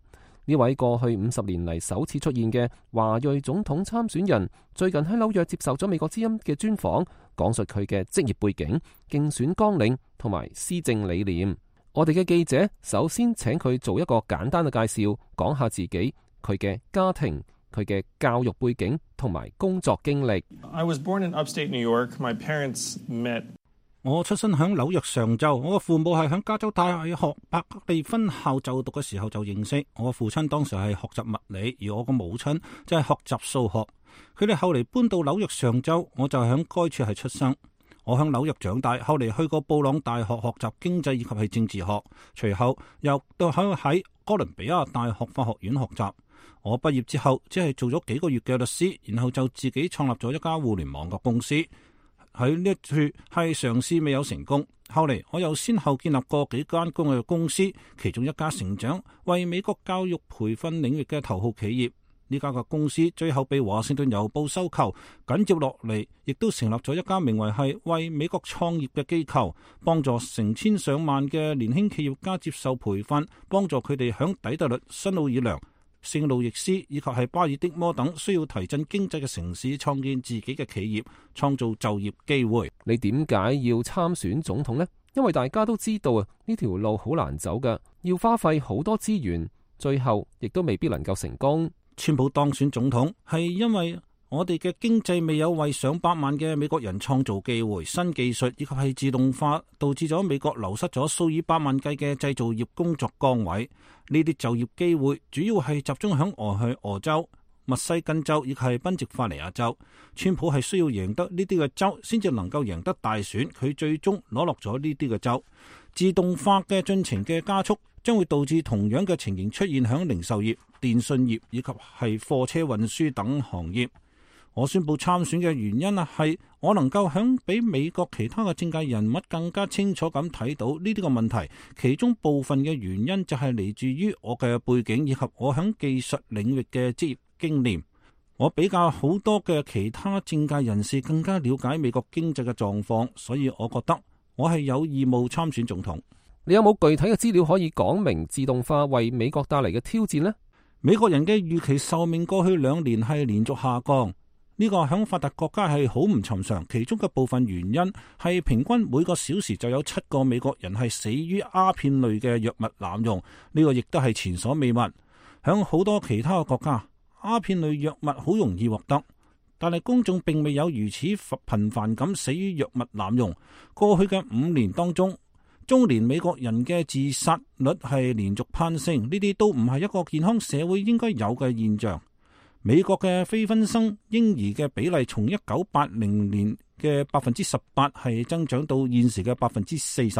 [SPEAKER 2] 呢位過去五十年嚟首次出現嘅華裔總統參選人，最近喺紐約接受咗美國之音嘅專訪，講述佢嘅職業背景、競選綱領同埋施政理念。我哋嘅記者首先請佢做一個簡單嘅介紹，講下自己、佢嘅家庭、佢嘅教育背景同埋工作經歷。
[SPEAKER 12] I was born in upstate New York. My parents met.
[SPEAKER 13] 我出生喺紐約上州，我嘅父母係喺加州大學伯克利分校就讀嘅時候就認識。我嘅父親當時係學習物理，而我嘅母親就係學習數學。佢哋後嚟搬到紐約上州，我就喺該處係出生。我喺紐約長大，後嚟去過布朗大學學習經濟以及係政治學，隨後又到喺喺哥倫比亞大學法學院學習。我畢業之後只係做咗幾個月嘅律師，然後就自己創立咗一家互聯網嘅公司。喺呢一處係嘗試未有成功，後嚟我又先後建立過幾間公嘅公司，其中一家成長為美國教育培訓領域嘅頭號企業。呢家嘅公司最後被華盛頓郵報收購，緊接落嚟亦都成立咗一家名為係為美國創業嘅機構，幫助成千上萬嘅年輕企業家接受培訓，幫助佢哋響底特律、新奧爾良、聖路易斯以及係巴爾的摩等需要提振經濟嘅城市創建自己嘅企業，創造就業機會。
[SPEAKER 2] 你點解要參選總統呢？因為大家都知道啊，呢條路好難走㗎，要花費好多資源，最後亦都未必能夠成功。
[SPEAKER 13] 川普當選總統係因為我哋嘅經濟未有為上百萬嘅美國人創造機會，新技術以及係自動化導致咗美國流失咗數以百萬計嘅製造業工作崗位。呢啲就業機會主要係集中響俄亥俄州、密西根州以及係賓夕法尼亞州。川普係需要贏得呢啲嘅州，先至能夠贏得大選。佢最終攞落咗呢啲嘅州。自動化嘅進程嘅加速，將會導致同樣嘅情形出現響零售業、電信業以及係貨車運輸等行業。我宣布參選嘅原因啊，係我能夠響比美國其他嘅政界人物更加清楚咁睇到呢啲個問題，其中部分嘅原因就係嚟自於我嘅背景以及我響技術領域嘅職業經驗。我比較好多嘅其他政界人士更加了解美國經濟嘅狀況，所以我覺得我係有義務參選總統。
[SPEAKER 2] 你有冇具體嘅資料可以講明自動化為美國帶嚟嘅挑戰呢？
[SPEAKER 13] 美國人嘅預期壽命過去兩年係連續下降。呢個喺發達國家係好唔尋常，其中嘅部分原因係平均每個小時就有七個美國人係死於鴉片類嘅藥物濫用，呢個亦都係前所未聞。喺好多其他嘅國家，鴉片類藥物好容易獲得，但係公眾並未有如此頻繁咁死於藥物濫用。過去嘅五年當中，中年美國人嘅自殺率係連續攀升，呢啲都唔係一個健康社會應該有嘅現象。美國嘅非婚生嬰兒嘅比例從一九八零年嘅百分之十八係增長到現時嘅百分之四十，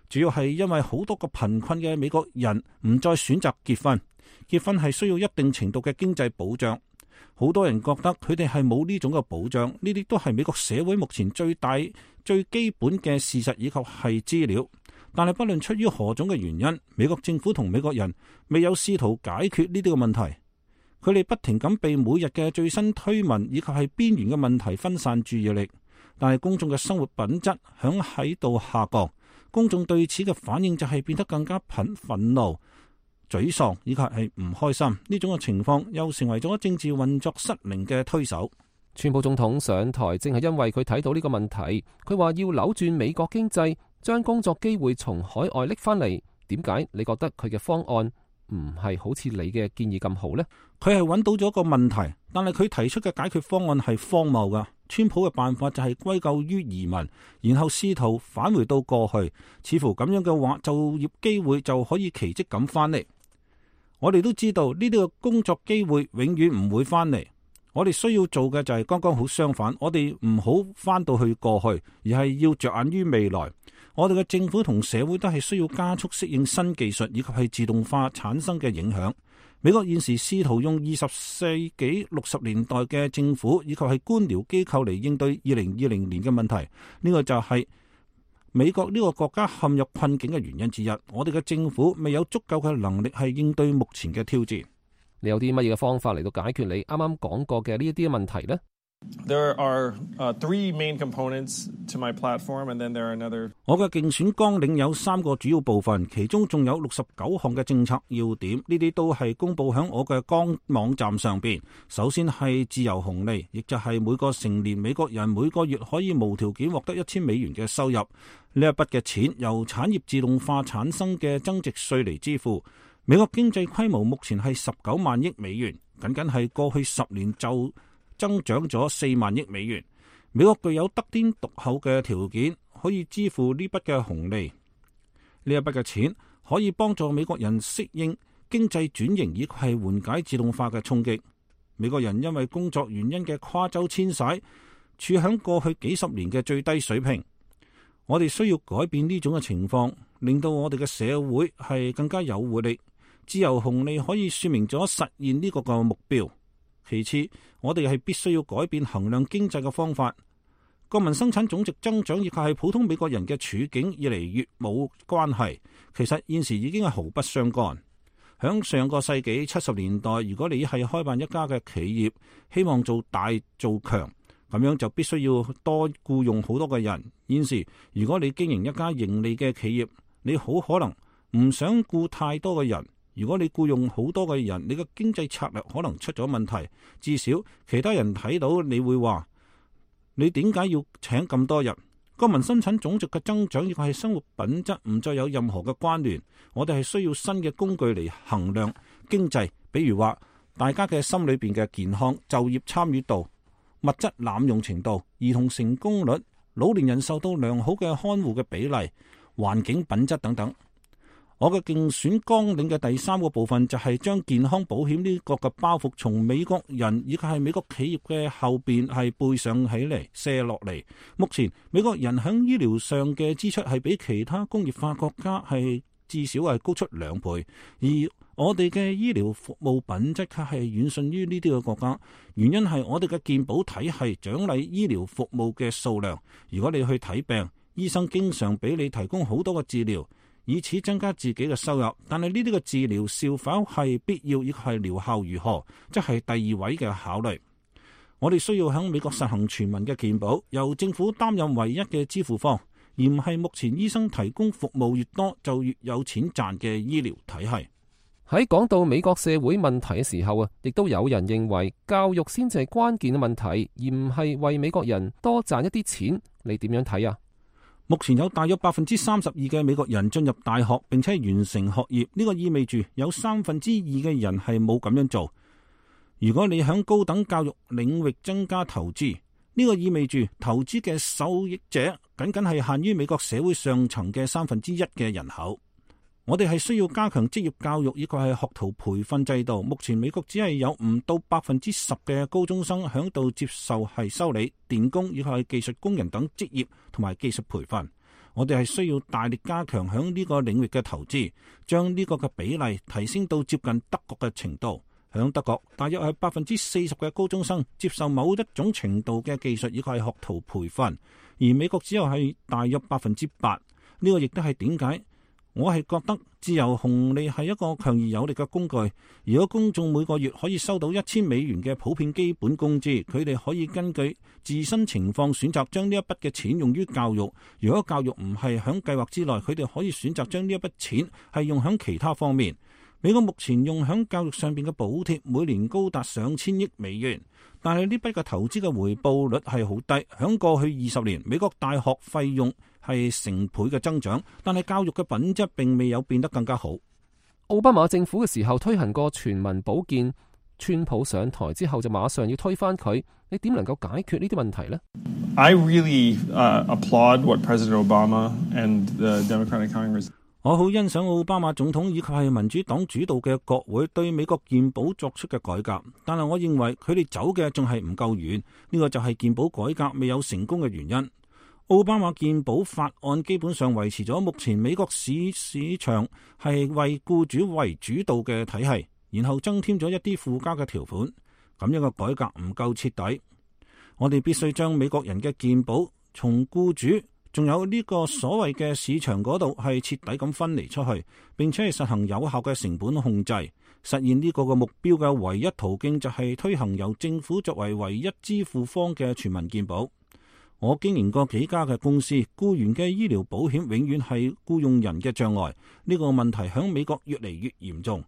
[SPEAKER 13] 主要係因為好多個貧困嘅美國人唔再選擇結婚，結婚係需要一定程度嘅經濟保障，好多人覺得佢哋係冇呢種嘅保障，呢啲都係美國社會目前最大最基本嘅事實以及係資料。但係不論出於何種嘅原因，美國政府同美國人未有試圖解決呢啲嘅問題。佢哋不停咁被每日嘅最新推文以及係邊緣嘅問題分散注意力，但係公眾嘅生活品質響喺度下降，公眾對此嘅反應就係變得更加憤憤怒、沮喪以及係唔開心。呢種嘅情況又成為咗政治運作失靈嘅推手。
[SPEAKER 2] 川普總統上台正係因為佢睇到呢個問題，佢話要扭轉美國經濟，將工作機會從海外拎翻嚟。點解你覺得佢嘅方案唔係好似你嘅建議咁好呢？
[SPEAKER 13] 佢係揾到咗個問題，但係佢提出嘅解決方案係荒謬噶。川普嘅辦法就係歸咎於移民，然後試圖返回到過去，似乎咁樣嘅話，就業機會就可以奇蹟咁翻嚟。我哋都知道呢啲嘅工作機會永遠唔會翻嚟。我哋需要做嘅就係剛剛好相反，我哋唔好翻到去過去，而係要着眼於未來。我哋嘅政府同社會都係需要加速適應新技術以及係自動化產生嘅影響。美國現時試圖用二十世紀六十年代嘅政府以及係官僚機構嚟應對二零二零年嘅問題，呢個就係美國呢個國家陷入困境嘅原因之一。我哋嘅政府未有足夠嘅能力係應對目前嘅挑戰。
[SPEAKER 2] 你有啲乜嘢嘅方法嚟到解決你啱啱講過嘅呢一啲問題呢？
[SPEAKER 12] There are uh, three main components to my platform, and then there are another.
[SPEAKER 13] 我嘅競選綱領有三個主要部分，其中仲有六十九項嘅政策要點，呢啲都係公佈喺我嘅官網站上邊。首先係自由紅利，亦就係每個成年美國人每個月可以無條件獲得一千美元嘅收入。呢一筆嘅錢由產業自動化產生嘅增值稅嚟支付。美國經濟規模目前係十九萬億美元，僅僅係過去十年就增長咗四萬億美元。美國具有得天獨厚嘅條件，可以支付呢筆嘅紅利。呢一筆嘅錢可以幫助美國人適應經濟轉型，以及係緩解自動化嘅衝擊。美國人因為工作原因嘅跨州遷徙，處響過去幾十年嘅最低水平。我哋需要改變呢種嘅情況，令到我哋嘅社會係更加有活力。自由紅利可以說明咗實現呢個嘅目標。其次，我哋係必須要改變衡量經濟嘅方法。國民生產總值增長亦係普通美國人嘅處境越嚟越冇關係。其實現時已經係毫不相干。響上個世紀七十年代，如果你係開辦一家嘅企業，希望做大做強，咁樣就必須要多僱用好多嘅人。現時如果你經營一家盈利嘅企業，你好可能唔想僱太多嘅人。如果你僱用好多嘅人，你嘅經濟策略可能出咗問題。至少其他人睇到你會話，你點解要請咁多人？國民生產總值嘅增長亦係生活品質唔再有任何嘅關聯。我哋係需要新嘅工具嚟衡量經濟，比如話大家嘅心裏邊嘅健康、就業參與度、物質濫用程度、兒童成功率、老年人受到良好嘅看護嘅比例、環境品質等等。我嘅競選綱領嘅第三個部分就係將健康保險呢個嘅包袱從美國人以及係美國企業嘅後邊係背上起嚟卸落嚟。目前美國人喺醫療上嘅支出係比其他工業化國家係至少係高出兩倍，而我哋嘅醫療服務品質卻係遠遜於呢啲嘅國家。原因係我哋嘅健保體系獎勵醫療服務嘅數量。如果你去睇病，醫生經常俾你提供好多嘅治療，以此增加自己嘅收入，但係呢啲嘅治療是否係必要，亦係療效如何，即係第二位嘅考慮。我哋需要喺美國實行全民嘅健保，由政府擔任唯一嘅支付方，而唔係目前醫生提供服務越多就越有錢賺嘅醫療體系。
[SPEAKER 2] 喺講到美國社會問題嘅時候啊，亦都有人認為教育先至係關鍵嘅問題，而唔係為美國人多賺一啲錢。你點樣睇啊？
[SPEAKER 13] 目前有大約百分之三十二嘅美國人進入大學並且完成學業，呢個意味住有三分之二嘅人係冇咁樣做。如果你響高等教育領域增加投資，呢個意味住投資嘅受益者僅僅係限於美國社會上層嘅三分之一嘅人口。我哋係需要加強職業教育以及係學徒培訓制度。目前美國只係有唔到百分之十嘅高中生響度接受係修理、電工以及係技術工人等職業同埋技術培訓。我哋係需要大力加強響呢個領域嘅投資，將呢個嘅比例提升到接近德國嘅程度。響德國，大約係百分之四十嘅高中生接受某一種程度嘅技術以及係學徒培訓，而美國只有係大約百分之八。呢個亦都係點解我係覺得自由紅利係一個強而有力嘅工具。如果公眾每個月可以收到一千美元嘅普遍基本工資，佢哋可以根據自身情況選擇將呢一筆嘅錢用於教育。如果教育唔係響計劃之內，佢哋可以選擇將呢一筆錢係用響其他方面。美國目前用響教育上邊嘅補貼每年高達上千億美元，但係呢筆嘅投資嘅回報率係好低。響過去二十年，美國大學費用係成倍嘅增長，但係教育嘅品質並未有變得更加好。
[SPEAKER 2] 奧巴馬政府嘅時候推行過全民保健，川普上台之後就馬上要推翻佢，你點能夠解決呢啲問題呢？
[SPEAKER 12] I really uh, applaud what President Obama and the Democratic Congress.
[SPEAKER 13] 我好欣賞奧巴馬總統以及係民主黨主導嘅國會對美國健保作出嘅改革，但係我認為佢哋走嘅仲係唔夠遠，呢個就係健保改革未有成功嘅原因。奧巴馬健保法案基本上維持咗目前美國市市場係為僱主為主導嘅體系，然後增添咗一啲附加嘅條款，咁樣嘅改革唔夠徹底。我哋必須將美國人嘅健保從僱主仲有呢個所謂嘅市場嗰度係徹底咁分離出去，並且係實行有效嘅成本控制。實現呢個嘅目標嘅唯一途徑就係推行由政府作為唯一支付方嘅全民健保。我經營過幾家嘅公司，僱員嘅醫療保險永遠係僱用人嘅障礙。呢個問題喺美國越嚟越嚴重。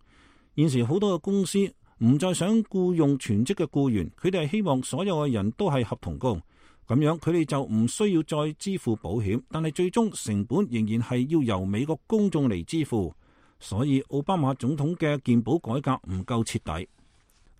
[SPEAKER 13] 現時好多嘅公司唔再想僱用全職嘅僱員，佢哋係希望所有嘅人都係合同工。咁樣佢哋就唔需要再支付保險，但係最終成本仍然係要由美國公眾嚟支付。所以奧巴馬總統嘅健保改革唔夠徹底。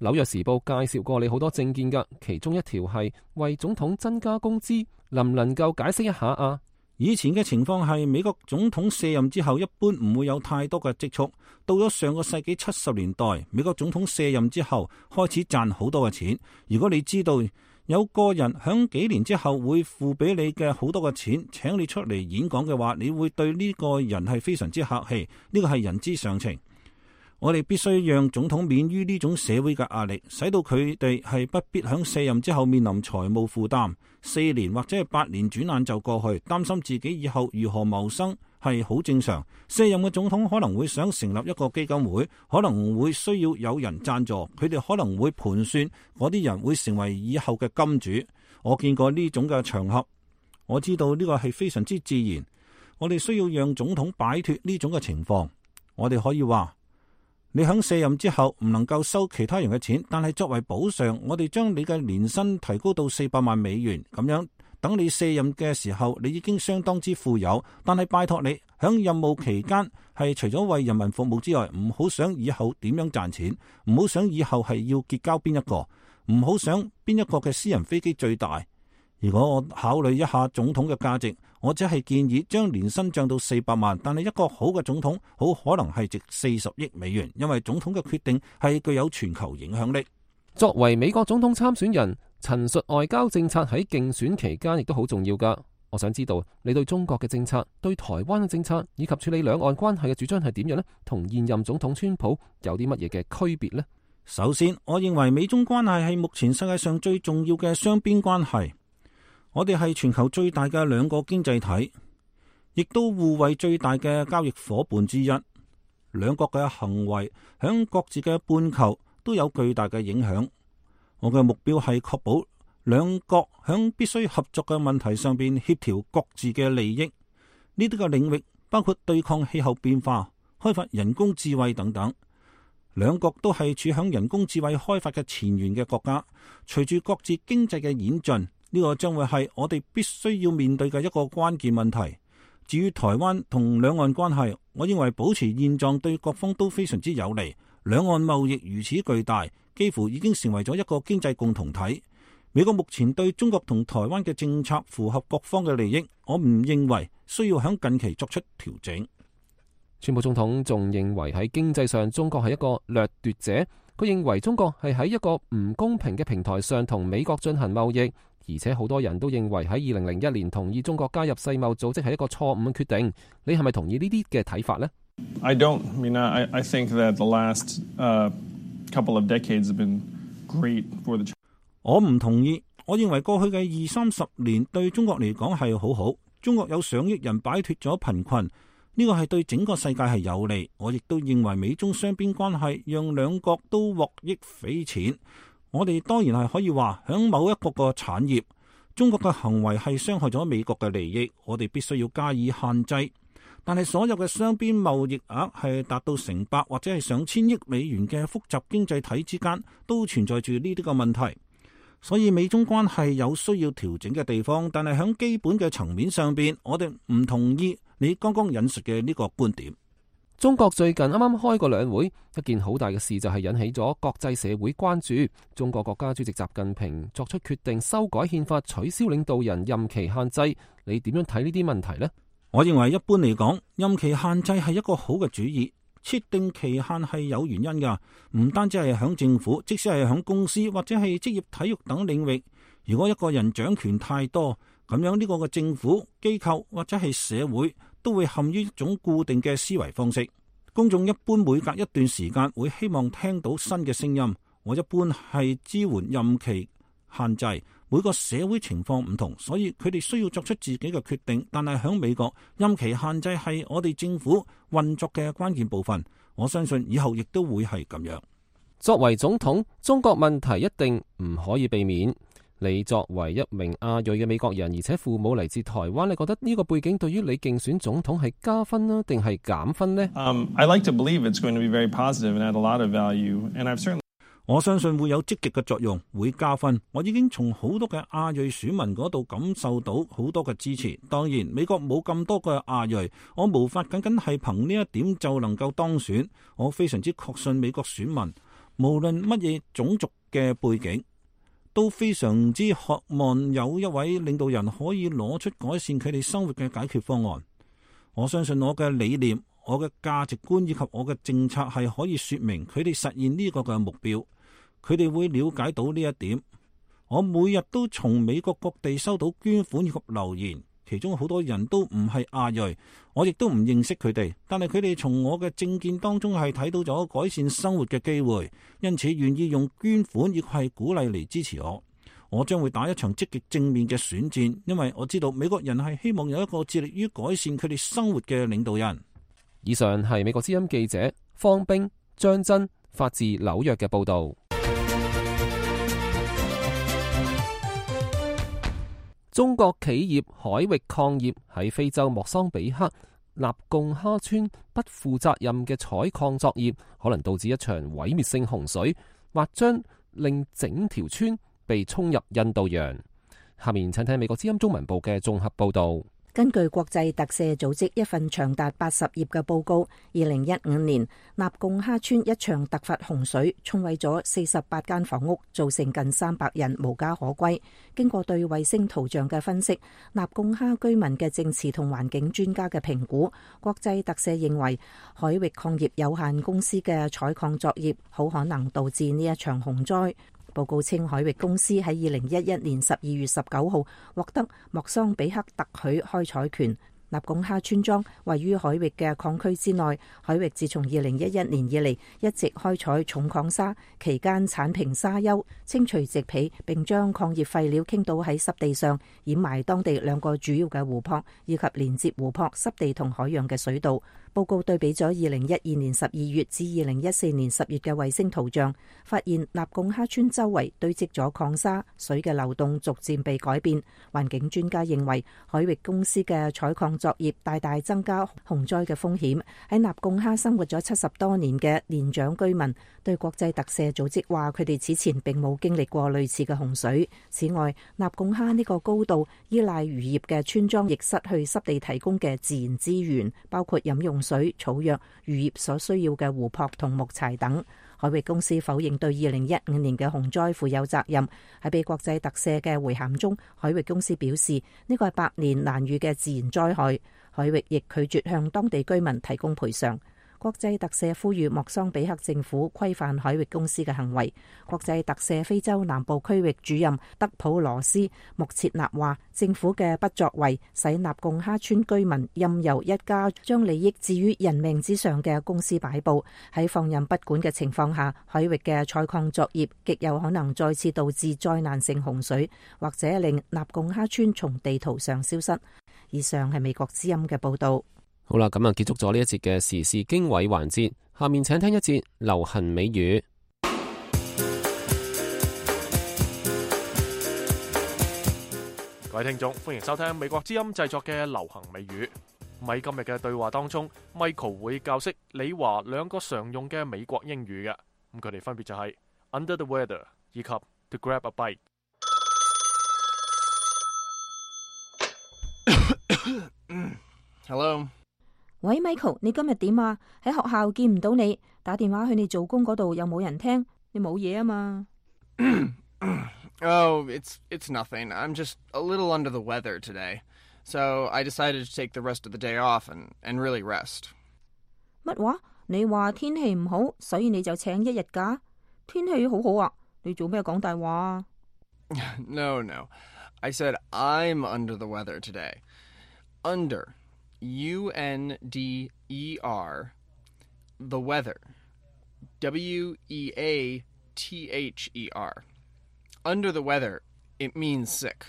[SPEAKER 2] 紐約時報介紹過你好多政見㗎，其中一條係為總統增加工資，能唔能夠解釋一下啊？
[SPEAKER 13] 以前嘅情況係美國總統卸任之後一般唔會有太多嘅積蓄，到咗上個世紀七十年代，美國總統卸任之後開始賺好多嘅錢。如果你知道有個人響幾年之後會付俾你嘅好多嘅錢，請你出嚟演講嘅話，你會對呢個人係非常之客氣，呢個係人之常情。我哋必須讓總統免於呢種社會嘅壓力，使到佢哋係不必響卸任之後面臨財務負擔，四年或者係八年轉眼就過去，擔心自己以後如何謀生係好正常。卸任嘅總統可能會想成立一個基金會，可能會需要有人贊助，佢哋可能會盤算嗰啲人會成為以後嘅金主。我見過呢種嘅場合，我知道呢個係非常之自然。我哋需要讓總統擺脫呢種嘅情況。我哋可以話，你響卸任之後唔能夠收其他人嘅錢，但係作為補償，我哋將你嘅年薪提高到四百萬美元，咁樣等你卸任嘅時候，你已經相當之富有。但係拜託你響任務期間係除咗為人民服務之外，唔好想以後點樣賺錢，唔好想以後係要結交邊一個，唔好想邊一個嘅私人飛機最大。如果我考慮一下總統嘅價值，我只係建議將年薪漲到四百萬，但係一個好嘅總統好可能係值四十億美元，因為總統嘅決定係具有全球影響力。
[SPEAKER 2] 作為美國總統參選人，陳述外交政策喺競選期間亦都好重要㗎。我想知道你對中國嘅政策、對台灣嘅政策以及處理兩岸關係嘅主張係點樣呢？同現任總統川普有啲乜嘢嘅區別呢？
[SPEAKER 13] 首先，我認為美中關係係目前世界上最重要嘅雙邊關係。我哋係全球最大嘅兩個經濟體，亦都互為最大嘅交易夥伴之一。兩國嘅行為響各自嘅半球都有巨大嘅影響。我嘅目標係確保兩國響必須合作嘅問題上邊協調各自嘅利益。呢啲嘅領域包括對抗氣候變化、開發人工智慧等等。兩國都係處響人工智慧開發嘅前沿嘅國家。隨住各自經濟嘅演進，呢個將會係我哋必須要面對嘅一個關鍵問題。至於台灣同兩岸關係，我認為保持現狀對各方都非常之有利。兩岸貿易如此巨大，幾乎已經成為咗一個經濟共同體。美國目前對中國同台灣嘅政策符合各方嘅利益，我唔認為需要喺近期作出調整。
[SPEAKER 2] 川普總統仲認為喺經濟上中國係一個掠奪者，佢認為中國係喺一個唔公平嘅平台上同美國進行貿易。而且好多人都認為喺二零零一年同意中國加入世貿組織係一個錯誤嘅決定。你係咪同意呢啲嘅睇法呢？
[SPEAKER 12] I don't. I mean, I, I think that the last uh, couple of decades have been great for the.
[SPEAKER 13] 我唔同意。我認為過去嘅二三十年對中國嚟講係好好。中國有上億人擺脫咗貧困，呢個係對整個世界係有利。我亦都認為美中雙邊關係讓兩國都獲益匪淺。我哋當然係可以話響某一個個產業，中國嘅行為係傷害咗美國嘅利益，我哋必須要加以限制。但係所有嘅雙邊貿易額係達到成百或者係上千億美元嘅複雜經濟體之間，都存在住呢啲個問題。所以美中關係有需要調整嘅地方，但係響基本嘅層面上邊，我哋唔同意你剛剛引述嘅呢個觀點。
[SPEAKER 2] 中國最近啱啱開過兩會，一件好大嘅事就係引起咗國際社會關注。中國國家主席習近平作出決定修改憲法，取消領導人任期限制。你點樣睇呢啲問題呢？
[SPEAKER 13] 我認為一般嚟講，任期限制係一個好嘅主意。設定期限係有原因噶，唔單止係響政府，即使係響公司或者係職業體育等領域，如果一個人掌權太多，咁樣呢個嘅政府機構或者係社會都會陷於一種固定嘅思維方式。公眾一般每隔一段時間會希望聽到新嘅聲音。我一般係支援任期限制，每個社會情況唔同，所以佢哋需要作出自己嘅決定。但係響美國，任期限制係我哋政府運作嘅關鍵部分。我相信以後亦都會係咁樣。
[SPEAKER 2] 作為總統，中國問題一定唔可以避免。你作為一名亞裔嘅美國人，而且父母嚟自台灣，你覺得呢個背景對於你競選總統係加分啊，定係減分呢？
[SPEAKER 12] Um, I like to believe it's going to be very positive and add a lot of value, and I've certainly
[SPEAKER 13] 我相信會有積極嘅作用，會加分。我已經從好多嘅亞裔選民嗰度感受到好多嘅支持。當然，美國冇咁多嘅亞裔，我無法僅僅係憑呢一點就能夠當選。我非常之確信美國選民，無論乜嘢種族嘅背景，都非常之渴望有一位領導人可以攞出改善佢哋生活嘅解決方案。我相信我嘅理念、我嘅價值觀以及我嘅政策係可以說明佢哋實現呢個嘅目標。佢哋會了解到呢一點。我每日都從美國各地收到捐款以及留言，其中好多人都唔係亞裔，我亦都唔認識佢哋，但係佢哋從我嘅政見當中係睇到咗改善生活嘅機會，因此願意用捐款亦係鼓勵嚟支持我。我將會打一場積極正面嘅選戰，因為我知道美國人係希望有一個致力於改善佢哋生活嘅領導人。
[SPEAKER 2] 以上係美國之音記者方冰、張真發自紐約嘅報道。中國企業海域礦業喺非洲莫桑比克納貢哈村不負責任嘅採礦作業，可能導致一場毀滅性洪水，或將令整條村被沖入印度洋。下面請聽美國之音中文部嘅綜合報道。
[SPEAKER 5] 根據國際特赦組織一份長達八十頁嘅報告，二零一五年納貢哈村一場突發洪水沖毀咗四十八間房屋，造成近三百人無家可歸。經過對衛星圖像嘅分析，納貢哈居民嘅政治同環境專家嘅評估，國際特赦認為海域礦業有限公司嘅採礦作業好可能導致呢一場洪災。報告稱，海域公司喺二零一一年十二月十九號獲得莫桑比克特許開採權。納貢哈村莊位於海域嘅礦區之內，海域自從二零一一年以嚟一直開採重礦砂，期間剷平沙丘，清除植被，並將礦業廢料傾倒喺濕地上，掩埋當地兩個主要嘅湖泊，以及連接湖泊、濕地同海洋嘅水道。報告對比咗二零一二年十二月至二零一四年十月嘅衛星圖像，發現納貢哈村周圍堆積咗礦砂，水嘅流動逐漸被改變。環境專家認為，海域公司嘅採礦作業大大增加洪災嘅風險。喺納貢哈生活咗七十多年嘅年長居民對國際特赦組織話，佢哋此前並冇經歷過類似嘅洪水。此外，納貢哈呢個高度依賴漁業嘅村莊亦失去濕地提供嘅自然資源，包括飲用水、草藥、漁業所需要嘅湖泊同木柴等。海域公司否認對二零一五年嘅洪災負有責任。喺被國際特赦嘅回函中，海域公司表示呢個係百年難遇嘅自然災害。海域亦拒絕向當地居民提供賠償。國際特赦呼籲莫桑比克政府規範海域公司嘅行為。國際特赦非洲南部區域主任德普羅斯穆切納話，政府嘅不作為使納貢哈村居民任由一家將利益置於人命之上嘅公司擺布。喺放任不管嘅情況下，海域嘅採礦作業極有可能再次導致災難性洪水，或者令納貢哈村從地圖上消失。以上係美國之音嘅報道。
[SPEAKER 2] 好啦，咁啊結束咗呢一節嘅時事經緯環節，下面請聽一節流行美語。
[SPEAKER 1] 各位聽眾，歡迎收聽美國之音製作嘅流行美語。喺今日嘅對話當中 ，Michael 會教識李華兩個常用嘅美國英語嘅，咁佢哋分別就係 under the weather 以及 to grab a bite。
[SPEAKER 14] Hello。
[SPEAKER 5] 喂 ，Michael， 你今日點啊？喺學校見唔到你，打電話去你做工嗰度又冇人聽，你冇嘢啊嘛
[SPEAKER 14] ？Oh, it's it's nothing. I'm just a little under the weather today, so I decided to take the rest of the day off and and really rest.
[SPEAKER 5] 乜話？你話天氣唔好，所以你就請一日假？天氣好好啊，你做咩講大話啊
[SPEAKER 14] ？No, no. I said I'm under the weather today. Under, U N D E R, the weather, W E A T H E R.Under the weather, it means sick.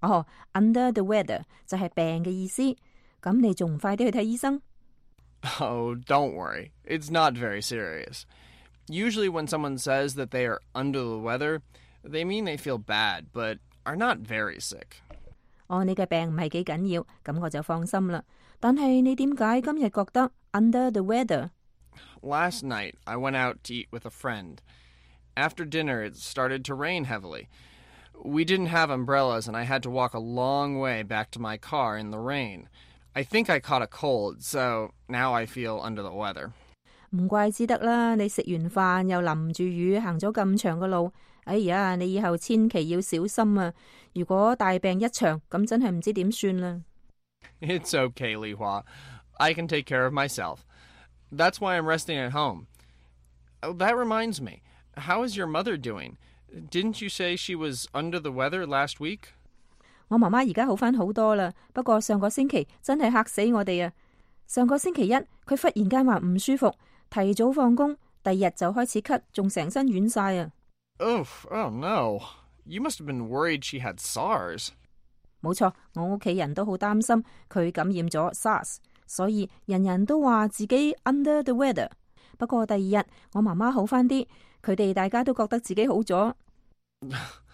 [SPEAKER 5] 哦、oh, ，under the weather 就係病嘅意思。咁你仲唔快啲去睇醫生？
[SPEAKER 14] Oh, don't worry. It's not very serious. Usually when someone says that they are under the weather, they mean they feel bad, but are not very sick.
[SPEAKER 5] 哦，你嘅病唔係幾緊要，咁我就放心啦。但係你點解今日覺得 under the weather?
[SPEAKER 14] Last night, I went out to eat with a friend.After dinner, it started to rain heavily. We didn't have umbrellas, and I had to walk a long way back to my car in the rain. I think I caught a cold, so now I feel under the weather.
[SPEAKER 5] 唔怪之得啦，你食完飯又淋住雨，行咗咁長嘅路。哎呀，你以後千祈要小心啊！如果大病一場，咁真係唔知點算啦。
[SPEAKER 14] It's okay, Li Hua. I can take care of myself. That's why I'm resting at home. Oh, that reminds me.How is your mother doing? Didn't you say she was under the weather last week?
[SPEAKER 5] 我媽媽而家好返好多啦，不過上個星期真係嚇死我哋啊！上個星期一，佢忽然間話唔舒服，提早放工，第二日就開始咳，仲成身軟晒啊
[SPEAKER 14] ！Oh, oh no! You must have been worried she had SARS.
[SPEAKER 5] 冇錯，我屋企人都好擔心佢感染咗 SARS， 所以人人都話自己 under the weather。不過第二日，我媽媽好返啲。佢哋大家都覺得自己好咗。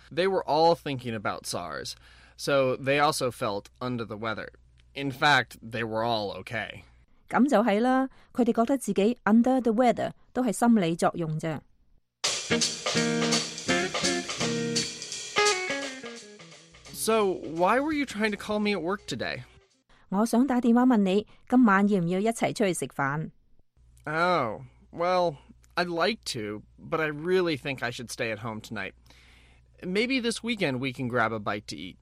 [SPEAKER 14] They were all thinking about SARS, so they also felt under the weather. In fact, they were all okay.
[SPEAKER 5] 咁就係啦，佢哋覺得自己 under the weather 都係心理作用啫。
[SPEAKER 14] So, why were you trying to call me at work today?
[SPEAKER 5] 我想打電話問你，今晚要唔要一齊出去食飯？
[SPEAKER 14] Oh, well...I'd like to, but I really think I should stay at home tonight. Maybe this weekend we can grab a bite to eat.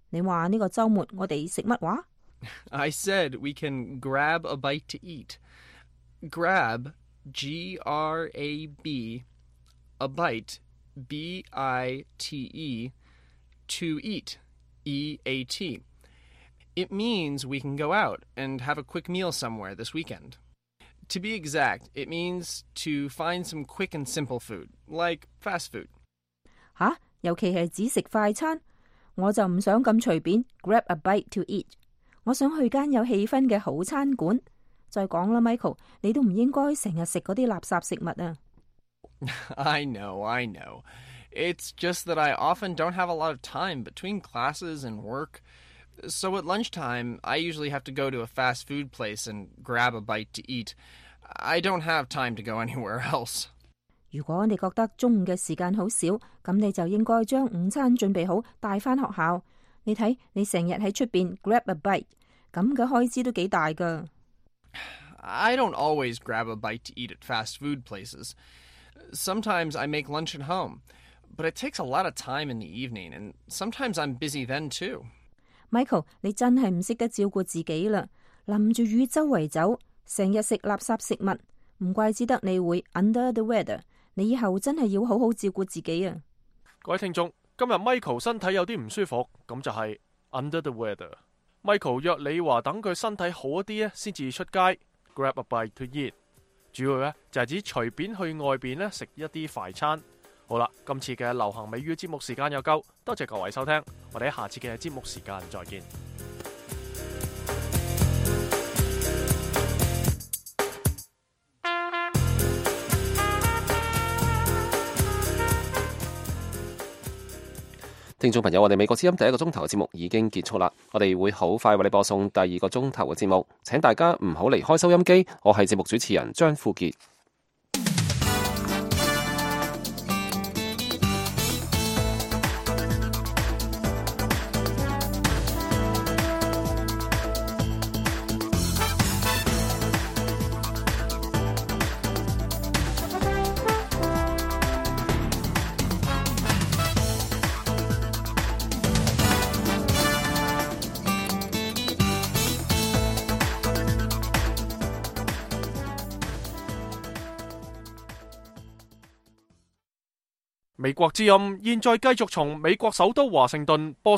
[SPEAKER 5] 你話呢個週末我哋食乜話？
[SPEAKER 14] I said we can grab a bite to eat. Grab, G R A B, a bite, B I T E, to eat, E A T. It means we can go out and have a quick meal somewhere this weekend.To be exact, it means to find some quick and simple food, like fast food.
[SPEAKER 5] 吓，尤其係只食快餐，我就唔想咁隨便 grab a bite to eat。我想去間有氣氛嘅好餐館。再講啦 ，Michael， 你都唔應該成日食嗰啲垃圾食物啊。
[SPEAKER 14] I know, I know. It's just that I often don't have a lot of time between classes and work.So at lunchtime, I usually have to go to a fast food place and grab a bite to eat. I don't have time to go anywhere else.
[SPEAKER 5] 如果你覺得中午嘅時間好少，咁你就應該將午餐準備好帶返學校。你睇，你成日喺出邊 grab a bite， 咁嘅開支都幾大㗎。
[SPEAKER 14] I don't always grab a bite to eat at fast food places. Sometimes I make lunch at home, but it takes a lot of time in the evening, and sometimes I'm busy then too.Michael，
[SPEAKER 5] 你真係唔識得照顧自己啦！淋住雨周圍走，成日食垃圾食物，唔怪之得你會 under the weather。你以後真係要好好照顧自己啊！
[SPEAKER 1] 各位聽眾，今日 Michael 身體有啲唔舒服，咁就係 under the weather。Michael 約你話等佢身體好一啲咧，先至出街 grab a bite to eat。主要咧就係指隨便去外邊咧食一啲快餐。好啦，今次嘅流行美語節目時間又夠，多謝各位收聽，我哋喺下次嘅節目時間再見。
[SPEAKER 2] 聽眾朋友，我哋美國之音第一個鐘頭嘅節目已經結束啦，我哋會好快為你播送第二個鐘頭嘅節目，請大家唔好離開收音機，我係節目主持人張富傑。
[SPEAKER 1] 美國之音現在繼續從美國首都華盛頓播送